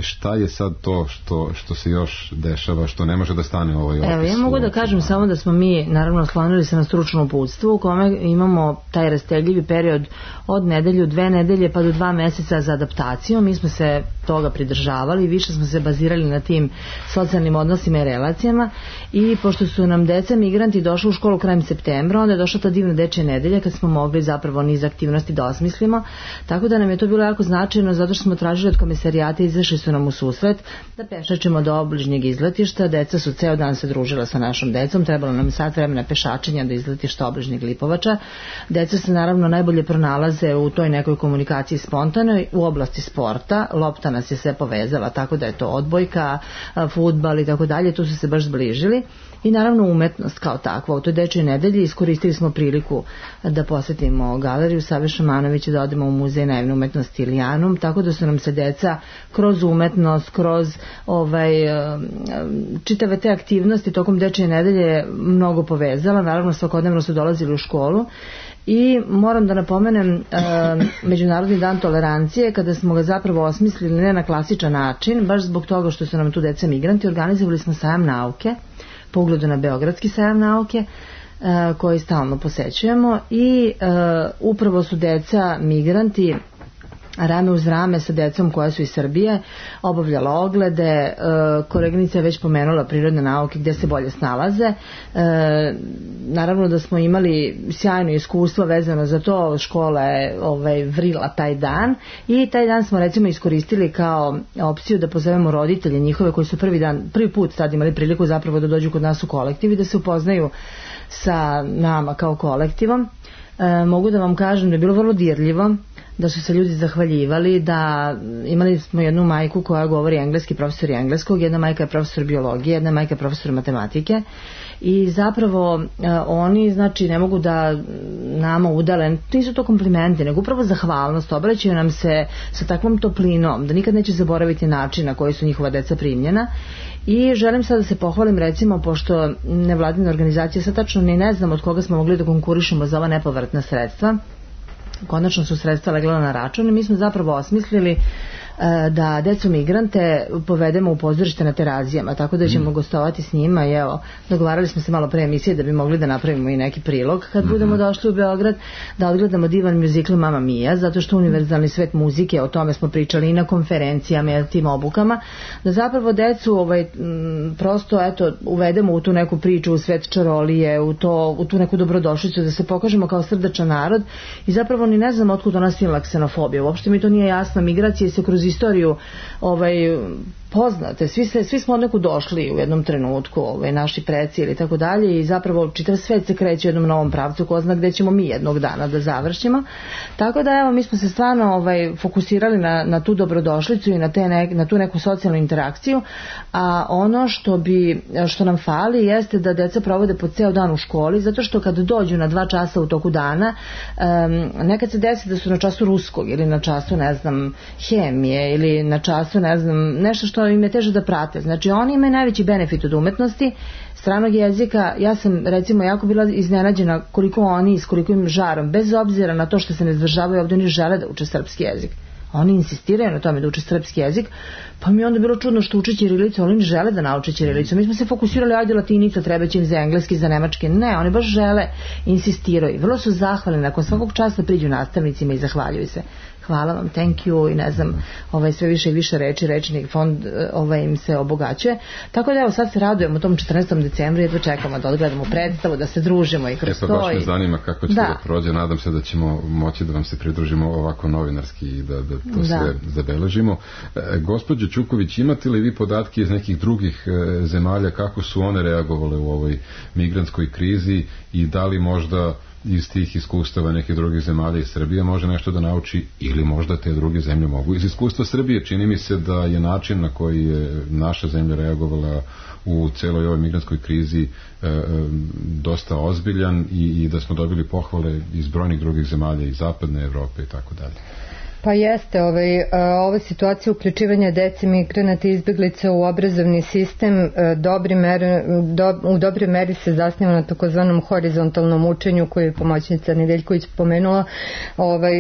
Šta je sad to što se još dešava, što ne može da stane ovaj opis? Evo, ja mogu da kažem samo da smo mi naravno oslonili se na stručno uputstvo u kome imamo taj rastegljivi period od nedelju, 2 nedelje pa do 2 meseca za adaptaciju. Mi smo se toga pridržavali, više smo se bazirali na tim socijalnim odnosima i relacijama i pošto su nam deca migranti došli u školu krajem septembra, onda je došla ta divna dečja nedelja kad smo mogli zapravo niz aktivnosti da osmislimo, tako da nam je to bilo jako značajno zato što smo tražili od komisarijata, izašli su nam u susret da pešačemo do obližnjeg izletišta. Deca su ceo dan se družila sa našom decom, trebalo nam sat vremena pešačenja do izletišta obližnjeg Lipovača. Deca se naravno najbolje pronalaze u toj nekoj komunikaciji spontanoj u oblasti sporta. Lopta nas je sve povezala, tako da je to odbojka, fudbal i tako dalje, tu su se baš zbližili. I naravno umetnost kao takva. U toj dečjoj nedelji iskoristili smo priliku da posetimo galeriju Save Šamanovića, da odemo u muzej naivne umetnosti Ilijanum, tako da su nam se deca kroz umetnost, kroz čitave te aktivnosti tokom dečje nedelje mnogo povezala. Naravno svakodnevno su dolazili u školu. I moram da napomenem Međunarodni dan tolerancije, kada smo ga zapravo osmislili ne na klasičan način, baš zbog toga što su nam tu deca migranti, organizovali smo sajam nauke, po ugledu na Beogradski sajam nauke, koji stalno posećujemo i upravo su deca migranti rame uz rame sa decom koja su iz Srbije obavljala oglede. Koleginica je već pomenula prirodne nauke gdje se bolje snalaze. Naravno da smo imali sjajno iskustvo vezano za to, škola je vrila taj dan i taj dan smo recimo iskoristili kao opciju da pozovemo roditelje njihove koji su prvi put sad imali priliku zapravo da dođu kod nas u kolektiv i da se upoznaju sa nama kao kolektivom. Mogu da vam kažem da je bilo vrlo dirljivo, da su se ljudi zahvaljivali, da imali smo jednu majku koja govori engleski, profesor engleskog, jedna majka je profesor biologije, jedna majka je profesor matematike i zapravo oni znači ne mogu da nama udale, nisu to komplimenti, nego upravo zahvalnost, obraćaju nam se sa takvom toplinom da nikad neće zaboraviti način na koji su njihova deca primljena. I želim sad da se pohvalim recimo, pošto nevladine organizacije sad tačno ni ne znam od koga smo mogli da konkurišemo za ova nepovratna sredstva, konačno su sredstva legla na račun i mi smo zapravo osmislili da decu migrante povedemo u pozorište na Terazijama, tako da ćemo gostovati s njima i evo, dogovarali smo se malo pre emisije da bi mogli da napravimo i neki prilog kad budemo došli u Beograd, da odgledamo divan muzikl Mamma Mia, zato što univerzalni svet muzike, o tome smo pričali i na konferencijama i na tim obukama, da zapravo decu prosto eto, uvedemo u tu neku priču, u svet čarolije, u tu neku dobrodošlicu, da se pokažemo kao srdačan narod i zapravo ni ne znamo otkud ona silna ksenofobija, uopšte mi to nije jasno, migracije se kroz istoriju poznate, svi smo od neku došli u jednom trenutku, naši preci ili tako dalje i zapravo čitav svet se kreće u jednom novom pravcu, ko zna gde ćemo mi jednog dana da završimo, tako da evo mi smo se stvarno fokusirali na tu dobrodošlicu i na tu neku socijalnu interakciju, a ono što nam fali jeste da deca provode po ceo dan u školi, zato što kad dođu na 2 časa u toku dana, nekad se desi da su na času ruskog ili na času ne znam hemije ili na času ne znam nešto što im je teže da prate. Znači oni imaju najveći benefit od umetnosti, stranog jezika. Ja sam recimo jako bila iznenađena koliko oni s kolikim žarom, bez obzira na to što se ne izdržavaju ovdje, oni žele da uče srpski jezik. Oni insistiraju na tome da uče srpski jezik, pa mi je onda bilo čudno što uče ćirilicu, ali oni žele da nauče ćirilicu. Mi smo se fokusirali, ajde latinica, treba će im za engleski, za nemački. Ne, oni baš žele, insistiraju. Vrlo su zahvalni, nakon svakog časa priđu nastavnicima i zahvaljuju se. Hvala vam, thank you i ne znam, sve više i više reči, rečni fond im se obogaćuje. Tako da evo sad se radujemo tom 14. decembru i jedva čekamo da odgledamo predstavu, da se družimo i kroz to. Baš me zanima kako će da prođe, nadam se da ćemo moći da vam se pridružimo ovako novinarski i da to sve zabeležimo. Gospođo Ćuković, imate li vi podatke iz nekih drugih zemalja kako su one reagovale u ovoj migrantskoj krizi i da li možda iz tih iskustava nekih drugih zemalja i Srbije može nešto da nauči ili možda te druge zemlje mogu. Iz iskustva Srbije čini mi se da je način na koji je naša zemlja reagovala u celoj ovoj migrantskoj krizi dosta ozbiljan i da smo dobili pohvale iz brojnih drugih zemalja iz zapadne Evrope i tako dalje. Pa jeste, ova situacija uključivanja dece migranata i izbeglica u obrazovni sistem u dobroj meri se zasniva na takozvanom horizontalnom učenju koju je pomoćnica Nedeljković pomenula,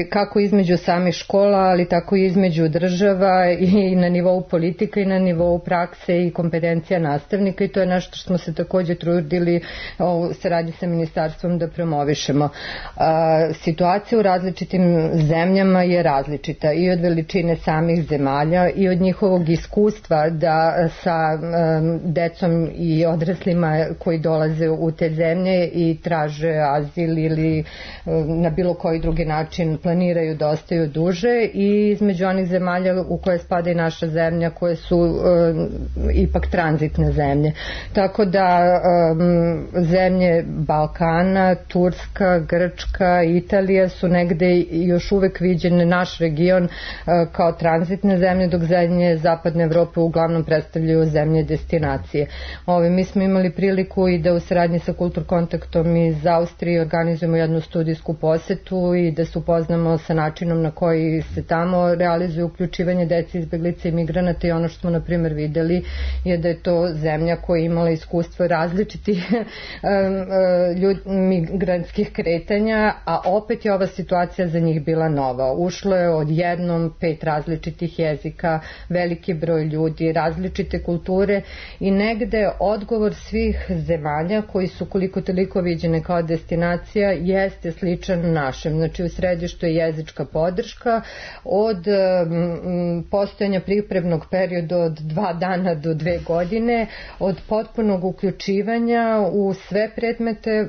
kako između samih škola, ali tako i između država i na nivou politika i na nivou prakse i kompetencija nastavnika i to je nešto što smo se također trudili u saradnji sa ministarstvom da promovišemo. Situacija u različitim zemljama je različita i od veličine samih zemalja i od njihovog iskustva da sa decom i odraslima koji dolaze u te zemlje i traže azil ili na bilo koji drugi način planiraju da ostaju duže i između onih zemalja u koje spada i naša zemlja koje su ipak tranzitne zemlje. Tako da zemlje Balkana, Turska, Grčka, Italija su negde još uvek viđene naš region kao tranzitne zemlje, dok zemlje Zapadne Evrope uglavnom predstavljaju zemlje destinacije. Mi smo imali priliku i da u saradnji sa Kulturkontaktom iz Austrije organizujemo jednu studijsku posetu i da se upoznamo sa načinom na koji se tamo realizuje uključivanje dece, izbeglica i migranata i ono što smo na primjer videli je da je to zemlja koja je imala iskustvo različitih migrantskih kretanja, a opet je ova situacija za njih bila nova. Ušlo je odjednom 5 različitih jezika, veliki broj ljudi, različite kulture i negde odgovor svih zemalja koji su koliko toliko viđene kao destinacija jeste sličan našem. Znači u središtu je jezička podrška od postojanja pripremnog perioda od 2 dana do 2 godine, od potpunog uključivanja u sve predmete,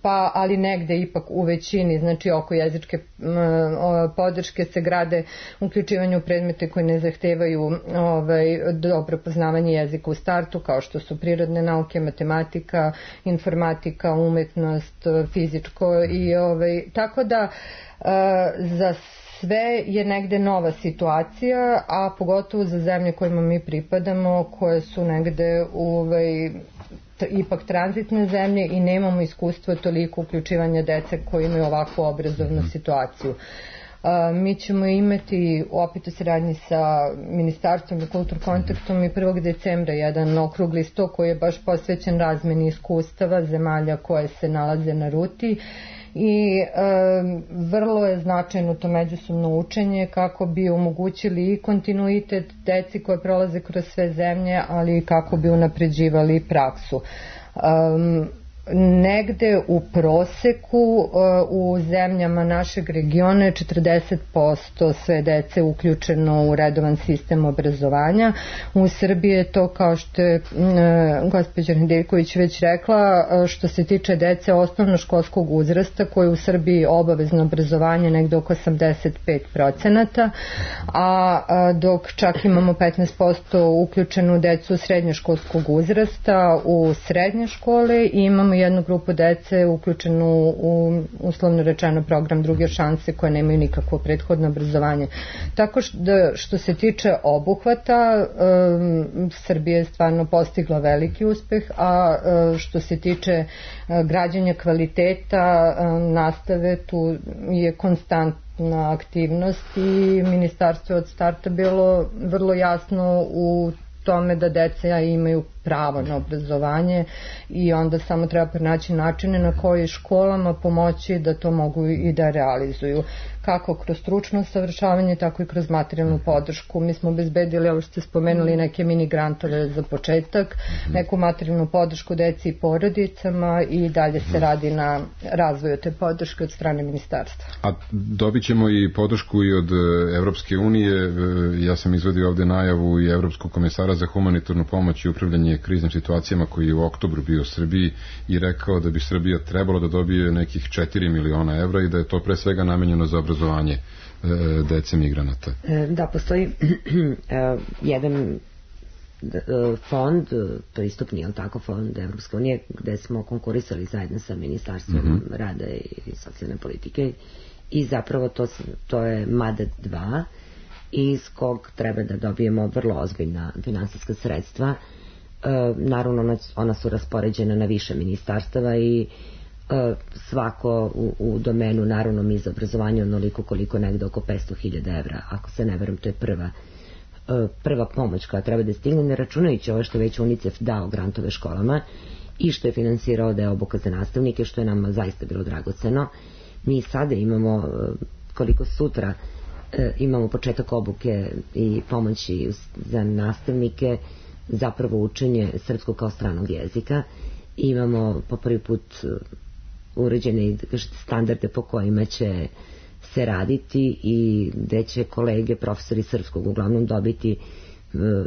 pa ali negde ipak u većini, znači oko jezičke podrške se grade uključivanje u predmete koji ne zahtevaju dobro poznavanje jezika u startu, kao što su prirodne nauke, matematika, informatika, umetnost, fizičko i tako da za sve je negde nova situacija, a pogotovo za zemlje kojima mi pripadamo, koje su negde ipak tranzitne zemlje i nemamo iskustva toliko uključivanja dece koji imaju ovakvu obrazovnu situaciju. Mi ćemo imati opet u saradnji sa Ministarstvom za kultur kontaktom i 1. decembra jedan okrugli sto koji je baš posvećen razmeni iskustava zemalja koje se nalaze na ruti i vrlo je značajno to međusobno učenje kako bi omogućili i kontinuitet deci koje prolaze kroz sve zemlje, ali i kako bi unapređivali praksu. Negde u proseku u zemljama našeg regiona je 40% sve dece uključeno u redovan sistem obrazovanja. U Srbiji je to, kao što je gospođa Nedeljković već rekla, što se tiče dece osnovnoškolskog uzrasta, koje u Srbiji obavezno obrazovanje negde oko 85%, a dok čak imamo 15% uključenu decu srednjoškolskog uzrasta u srednje škole i imamo jednu grupu dece uključenu u uslovno rečeno program druge šanse koje nemaju nikakvo prethodno obrazovanje. Tako što se tiče obuhvata, Srbija je stvarno postigla veliki uspeh, a što se tiče građenja kvaliteta nastave, tu je konstantna aktivnost i ministarstvo od starta bilo vrlo jasno u tome da deca imaju pravo na obrazovanje i onda samo treba pronaći načine na koji školama pomoći da to mogu i da realizuju. Kako kroz stručno savršavanje, tako i kroz materijalnu podršku. Mi smo obezbedili, ovo što ste spomenuli, neke mini grantove za početak, neku materijalnu podršku deci i porodicama i dalje se radi na razvoju te podrške od strane ministarstva. A dobit ćemo i podršku i od Evropske unije. Ja sam izvadio ovde najavu i Evropskog komesara za humanitarnu pomoć i upravljanje kriznim situacijama koji je u oktobru bio u Srbiji i rekao da bi Srbija trebalo da dobije nekih 4 miliona evra i da je to pre svega namenjeno za obrazovanje dece migranata. Da, postoji jedan fond, pristupni, je li tako, fond Evropske unije, gde smo konkurisali zajedno sa Ministarstvom rada i socijalne politike i zapravo to je MADET 2 iz kog treba da dobijemo vrlo ozbiljna finansijska sredstva. Naravno, ona su raspoređena na više ministarstava i svako u domenu, naravno mi za obrazovanje onoliko koliko negde oko 500.000 evra, ako se ne verujem, to je prva pomoć koja treba da stigne, ne računajući ovo što već UNICEF dao grantove školama i što je finansirao deo obuka za nastavnike, što je nama zaista bilo dragoceno. Mi sada imamo, koliko sutra imamo početak obuke i pomoći za nastavnike, zapravo učenje srpskog kao stranog jezika. Imamo po prvi put uređene standarde po kojima će se raditi i gde će kolege, profesori srpskog uglavnom dobiti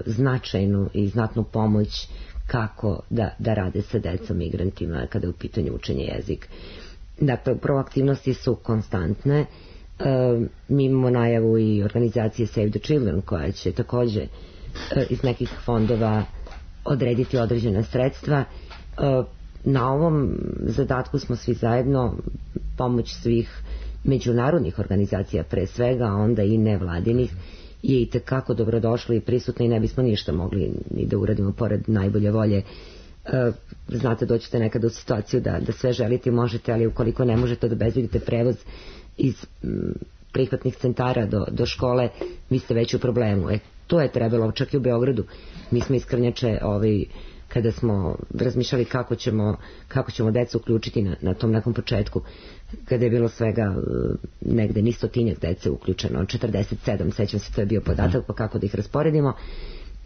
značajnu i znatnu pomoć kako da rade sa decom migrantima kada je u pitanju učenje jezika. Dakle, upravo aktivnosti su konstantne. Mi imamo najavu i organizacije Save the Children koja će takođe iz nekih fondova odrediti određena sredstva. Na ovom zadatku smo svi zajedno, pomoć svih međunarodnih organizacija pre svega, a onda i nevladinih je i tekako dobrodošla i prisutna i ne bismo ništa mogli ni da uradimo pored najbolje volje. Znate, doćete nekada u situaciju da sve želite i možete, ali ukoliko ne možete da obezbedite prevoz iz prihvatnih centara do škole, vi ste već u problemu. To je trebalo, čak i u Beogradu. Mi smo iz Krnjače kada smo razmišljali kako ćemo decu uključiti na tom nekom početku, kada je bilo svega negde ni 100-tinjak dece uključeno, 47, sećam se, to je bio podatak, pa kako da ih rasporedimo,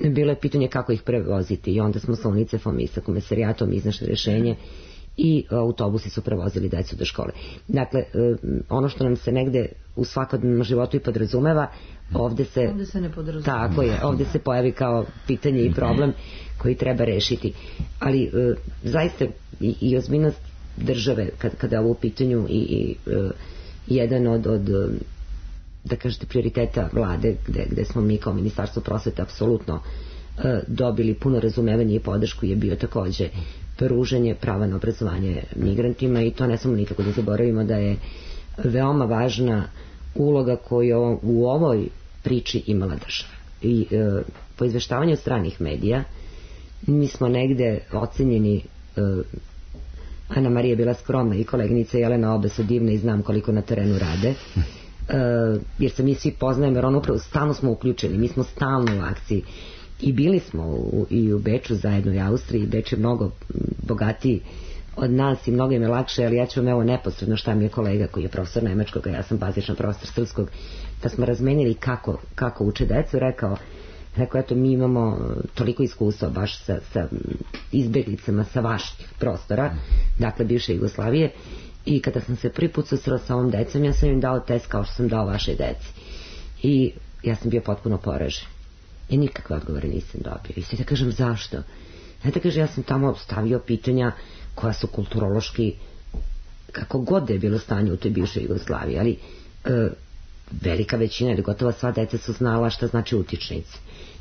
bilo je pitanje kako ih prevoziti i onda smo sa UNICEF-om i sa komesarijatom iznašli rješenje i autobusi su prevozili decu do škole. Dakle, ono što nam se negde u svakodnevnom životu i podrazumeva, ovde se ne podrazumeva. Tako je, ovde se pojavi kao pitanje i problem koji treba rešiti. Ali zaista i ozbiljnost države kada je ovo u pitanju i jedan od da kažete prioriteta vlade gde smo mi kao Ministarstvo prosvete apsolutno dobili puno razumevanja i podršku je bio takođe pružanje prava na obrazovanje migrantima i to ne samo nikako da zaboravimo da je veoma važna uloga koju u ovoj priči imala država. I po izveštavanju stranih medija mi smo negde ocenjeni, Ana Marija je bila skromna i koleginica Jelena, obe su divne i znam koliko na terenu rade, jer se mi svi poznajemo, jer ono upravo stalno smo uključeni, mi smo stalno u akciji i bili smo i u Beču zajedno i Austriji. Beč je mnogo bogatiji od nas i mnogo im je lakše, ali ja ću vam evo neposredno šta mi je kolega koji je profesor nemačkog, a ja sam bazičan profesor srpskog, da smo razmenili kako uče decu, rekao eto mi imamo toliko iskustva baš sa izbeglicama sa vaših prostora, dakle bivše Jugoslavije, i kada sam se prvi put susrela sa ovom decom, ja sam im dao test kao što sam dao vašoj deci i ja sam bio potpuno poražen i nikakve odgovore nisam dobio. I sad da kažem zašto? Da kažem, ja sam tamo stavio pitanja koja su kulturološki, kako god da je bilo stanje u toj bivšoj Jugoslaviji, ali velika većina ili gotovo sva deca su znala šta znači utičnici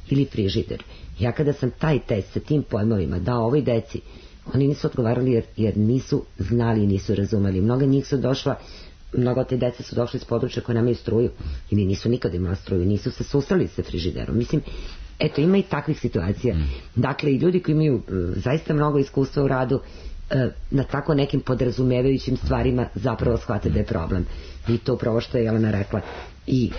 ili frižider. Ja kada sam taj test sa tim pojmovima dao ovoj deci, oni nisu odgovarali jer nisu znali i nisu razumeli. Mnoga njih su došla, mnogo te dece su došli iz područja koje nemaju struju ili nisu nikad imala struju, nisu se susreli sa frižiderom. Mislim, eto, ima i takvih situacija. Dakle, i ljudi koji imaju zaista mnogo iskustva u radu na tako nekim podrazumevajućim stvarima zapravo shvate da je problem. I to upravo što je Jelena rekla. I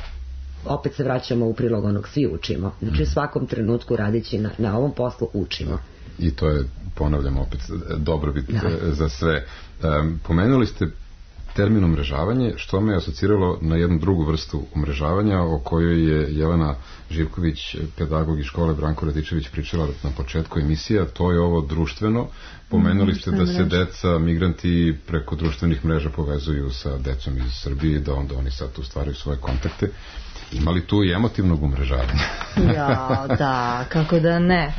opet se vraćamo u prilog onog, svi učimo. Znači, u svakom trenutku radeći na ovom poslu učimo. I to je, ponavljam opet, dobrobit za sve. Pomenuli ste termin umrežavanje, što me je asociralo na jednu drugu vrstu umrežavanja o kojoj je Jelena Živković, pedagog iz škole Branko Radičević, pričala na početku emisija. To je ovo društveno. Pomenuli ste da se deca, migranti preko društvenih mreža povezuju sa decom iz Srbije, da onda oni sad tu stvaraju svoje kontakte. Ima li tu i emotivnog umrežavanja? Ja, da, kako da ne.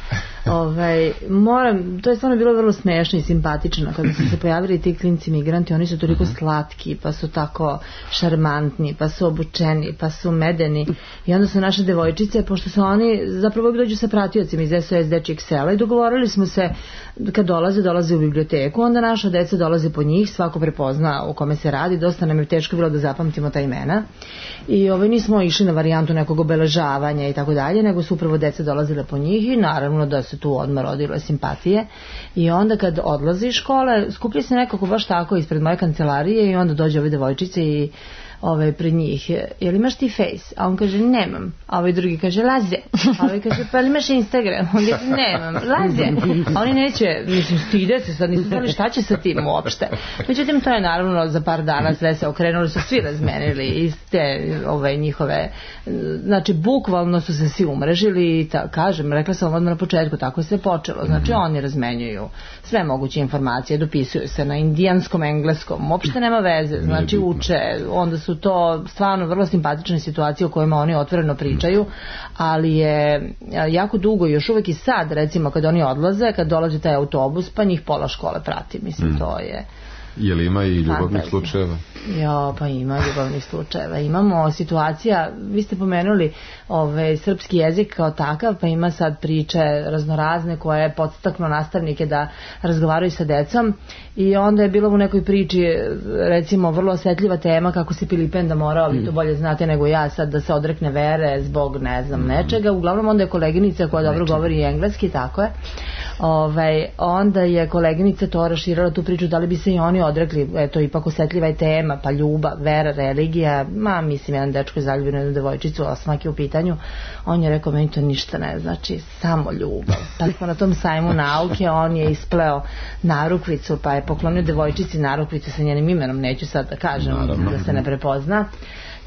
To je stvarno bilo vrlo smešno i simpatično kada su se pojavili ti klinci migranti. Oni su toliko slatki, pa su tako šarmantni, pa su obučeni, pa su medeni, i onda su naše devojčice, pošto su oni zapravo dođu sa pratiocima iz SOS dečijeg sela, i dogovorili smo se kad dolaze u biblioteku, onda naša deca dolaze po njih, svako prepozna o kome se radi. Dosta nam je teško bilo da zapamtimo ta imena i nismo išli na varijantu nekog obeležavanja i tako dalje, nego su upravo deca dolazile po njih i naravno da se tu odmah rodilo simpatije. I onda kad odlazi iz škole, skuplji se nekako baš tako ispred moje kancelarije i onda dođe ove devojčice i pred njih, jel imaš ti Face? A on kaže nemam. A ovaj drugi kaže Laze. A ovaj kaže pa imaš Instagram? On kaže nemam. Laze. A oni neće, mislim, stide se sad, nisu znali šta će sa tim uopšte. Međutim, to je naravno za par dana sve se okrenuli, su svi razmenili iz te njihove, znači bukvalno su se svi umrežili i kažem, rekla sam odmah na početku, tako je sve počelo. Znači oni razmenjuju sve moguće informacije, dopisuju se na indijanskom, engleskom, uopšte nema veze, znači uče, onda su to stvarno vrlo simpatične situacije o kojima oni otvoreno pričaju, ali je jako dugo, još uvek i sad, recimo kad oni odlaze, kad dolazi taj autobus, pa njih pola škole prati, mislim, to je... Je li ima i ljubavnih slučajeva? Ja, pa ima ljubavnih slučajeva. Imamo situacija, vi ste pomenuli srpski jezik kao takav, pa ima sad priče raznorazne koje podstaknu nastavnike da razgovaraju sa decom, i onda je bilo u nekoj priči, recimo, vrlo osetljiva tema kako se Pilipenda morao, vi to bolje znate nego ja sad, da se odrekne vere zbog ne znam nečega. Uglavnom onda je koleginica koja dobro govori engleski, tako je, onda je koleginica to raširala tu priču, da li bi se i oni odrekli, eto, ipak osetljiva je tema, pa ljubav, vera, religija, mislim, jedan dečko je zaljubio na jednu devojčicu, osmak je u pitanju, on je rekao, meni to ništa ne znači, samo ljubav. Pa smo na tom sajmu nauke, on je ispleo narukvicu, pa je poklonio devojčici narukvicu sa njenim imenom, neću sad da kažem, da se ne prepozna.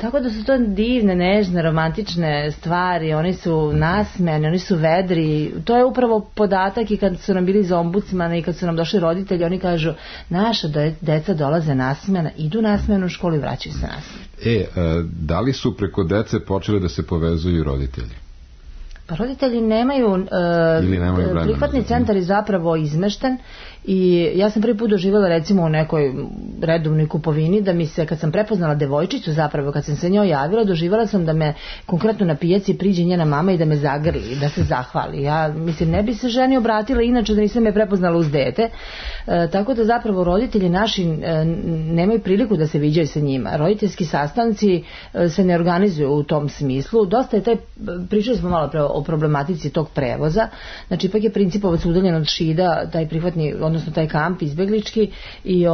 Tako da su to divne, nežne, romantične stvari, oni su nasmejani, oni su vedri, to je upravo podatak i kad su nam bili iz ombudsmana i kad su nam došli roditelji, oni kažu, naša deca dolaze nasmejana, idu nasmejana u školu i vraćaju se nasmejana. Da li su preko dece počeli da se povezuju roditelji? Pa roditelji nemaju prihvatni centar je zapravo izmešten i ja sam prvi put doživjela recimo u nekoj redovnoj kupovini da mi se, kad sam prepoznala devojčicu zapravo, kad sam se njoj javila, doživjela sam da me konkretno na pijaci priđe njena mama i da me zagrli, da se zahvali. Ja mislim, ne bi se ženi obratila inače da nisam je prepoznala uz dete, tako da zapravo roditelji naši nemaju priliku da se viđaju sa njima. Roditeljski sastanci se ne organizuju u tom smislu. Dosta je pričali smo malo o problematici tog prevoza, znači ipak je Principovac udaljen od Šida, taj prihvatni, odnosno taj kamp izbeglički i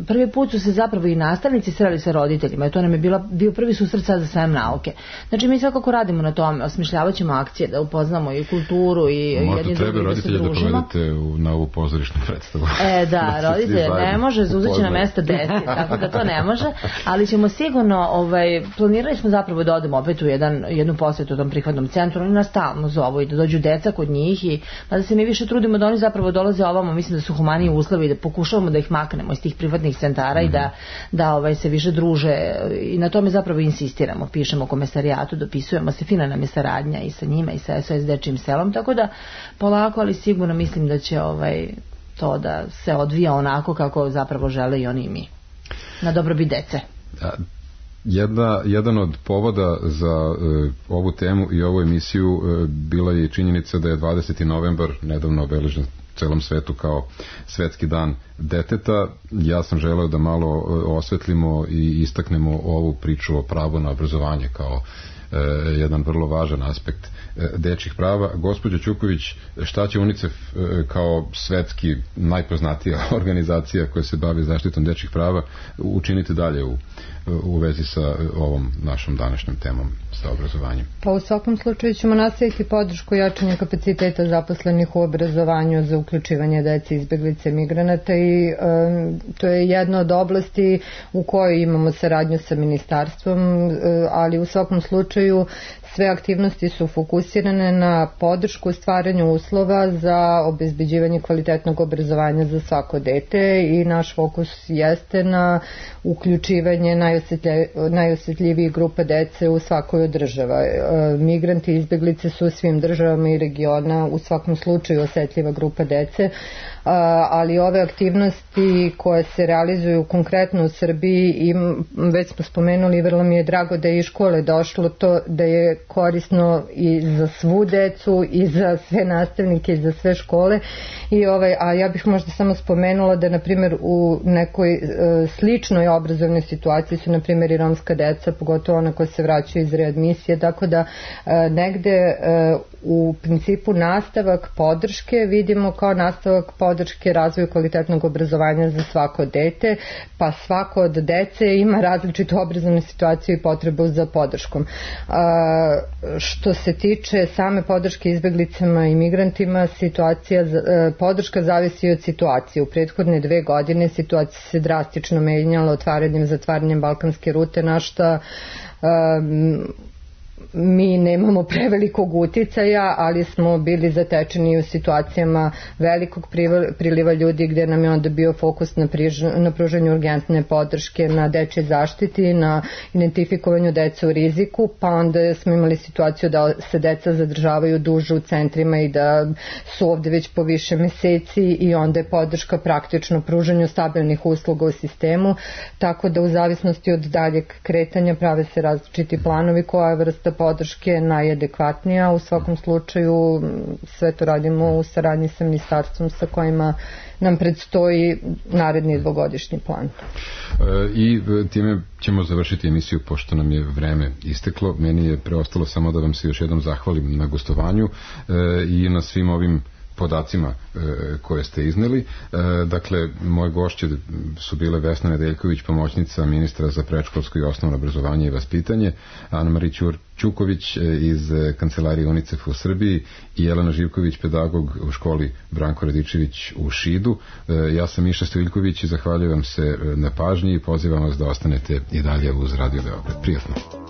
prvi put su se zapravo i nastavnici sreli sa roditeljima i to nam je bio prvi susret sad za sajam nauke. Znači mi svakako radimo na tome, osmišljavat ćemo akcije da upoznamo i kulturu i jedni drugi da se družimo. Možda treba roditelje da povedete na ovu pozorišnu predstavu. Da, roditelje ne može, zauzet će na mesta deci, tako da to ne može, ali ćemo sigurno, planirali smo zapravo da odemo opet u jednu posjetu u tom prihvatnom centru, oni nas stalno zovu i da dođu deca kod njih i da se mi više trudimo da oni zapravo dolaze ovamo, mislim da su humaniji uslovi i da pokušavamo da ih maknemo iz tih privatnih centara i da se više druže i na tome zapravo insistiramo, pišemo komesarijatu, dopisujemo se, fina nam je saradnja i sa njima i sa SOS dečijim selom, tako da polako, ali sigurno mislim da će to da se odvija onako kako zapravo žele i oni i mi, na dobrobit dece. Jedan od povoda za ovu temu i ovu emisiju bila je činjenica da je 20. novembar nedavno obeležen celom svetu kao svetski dan deteta. Ja sam želeo da malo osvetlimo i istaknemo ovu priču o pravu na obrazovanje kao jedan vrlo važan aspekt dečjih prava. Gospođo Ćuković, šta će UNICEF kao svetski najpoznatija organizacija koja se bavi zaštitom dečjih prava učiniti dalje u vezi sa ovom našom današnjom temom, sa obrazovanjem? Pa u svakom slučaju ćemo nastaviti podršku jačanja kapaciteta zaposlenih u obrazovanju za uključivanje dece, izbeglice, migranata i to je jedna od oblasti u kojoj imamo saradnju sa ministarstvom, ali u svakom slučaju sve aktivnosti su fokusirane na podršku stvaranju uslova za obezbeđivanje kvalitetnog obrazovanja za svako dete i naš fokus jeste na uključivanje najosjetljivijih grupa dece u svakoj od država. Migranti i izbeglice su u svim državama i regiona u svakom slučaju osjetljiva grupa dece, ali ove aktivnosti koje se realizuju konkretno u Srbiji i već smo spomenuli, vrlo mi je drago da je iz škole došlo to da je korisno i za svu decu i za sve nastavnike i za sve škole a ja bih možda samo spomenula da na primjer u nekoj sličnoj obrazovnoj situaciji su na primjer i romska deca, pogotovo ona koja se vraćaju iz readmisije, tako da negde u principu nastavak podrške vidimo kao nastavak podrške razvoju kvalitetnog obrazovanja za svako dete, pa svako od dece ima različitu obrazovnu situaciju i potrebu za podrškom. Što se tiče same podrške izbeglicama i migrantima, podrška zavisi od situacije. U prethodne 2 godine situacija se drastično menjala otvaranjem i zatvaranjem balkanske rute, na šta mi nemamo prevelikog uticaja, ali smo bili zatečeni u situacijama velikog priliva ljudi gdje nam je onda bio fokus na pružanju urgentne podrške, na dečjoj zaštiti, na identifikovanju dece u riziku, pa onda smo imali situaciju da se deca zadržavaju duže u centrima i da su ovdje već po više meseci i onda je podrška praktično pružanju stabilnih usluga u sistemu, tako da u zavisnosti od daljeg kretanja prave se različiti planovi koja je vrsta podrške najadekvatnija. U svakom slučaju sve to radimo u saradnji sa ministarstvom sa kojima nam predstoji naredni 2-godišnji plan. I time ćemo završiti emisiju pošto nam je vreme isteklo. Meni je preostalo samo da vam se još jednom zahvalim na gostovanju i na svim ovim podacima koje ste izneli. Dakle, moje gošće su bile Vesna Nedeljković, pomoćnica ministra za predškolsko i osnovno obrazovanje i vaspitanje, Ana-Marija Ćuković iz kancelarije UNICEF u Srbiji i Jelena Živković, pedagog u školi Branko Radičević u Šidu. Ja sam Miša Stojiljković i zahvaljujem se na pažnji i pozivam vas da ostanete i dalje uz Radio Beograd. Prijatno.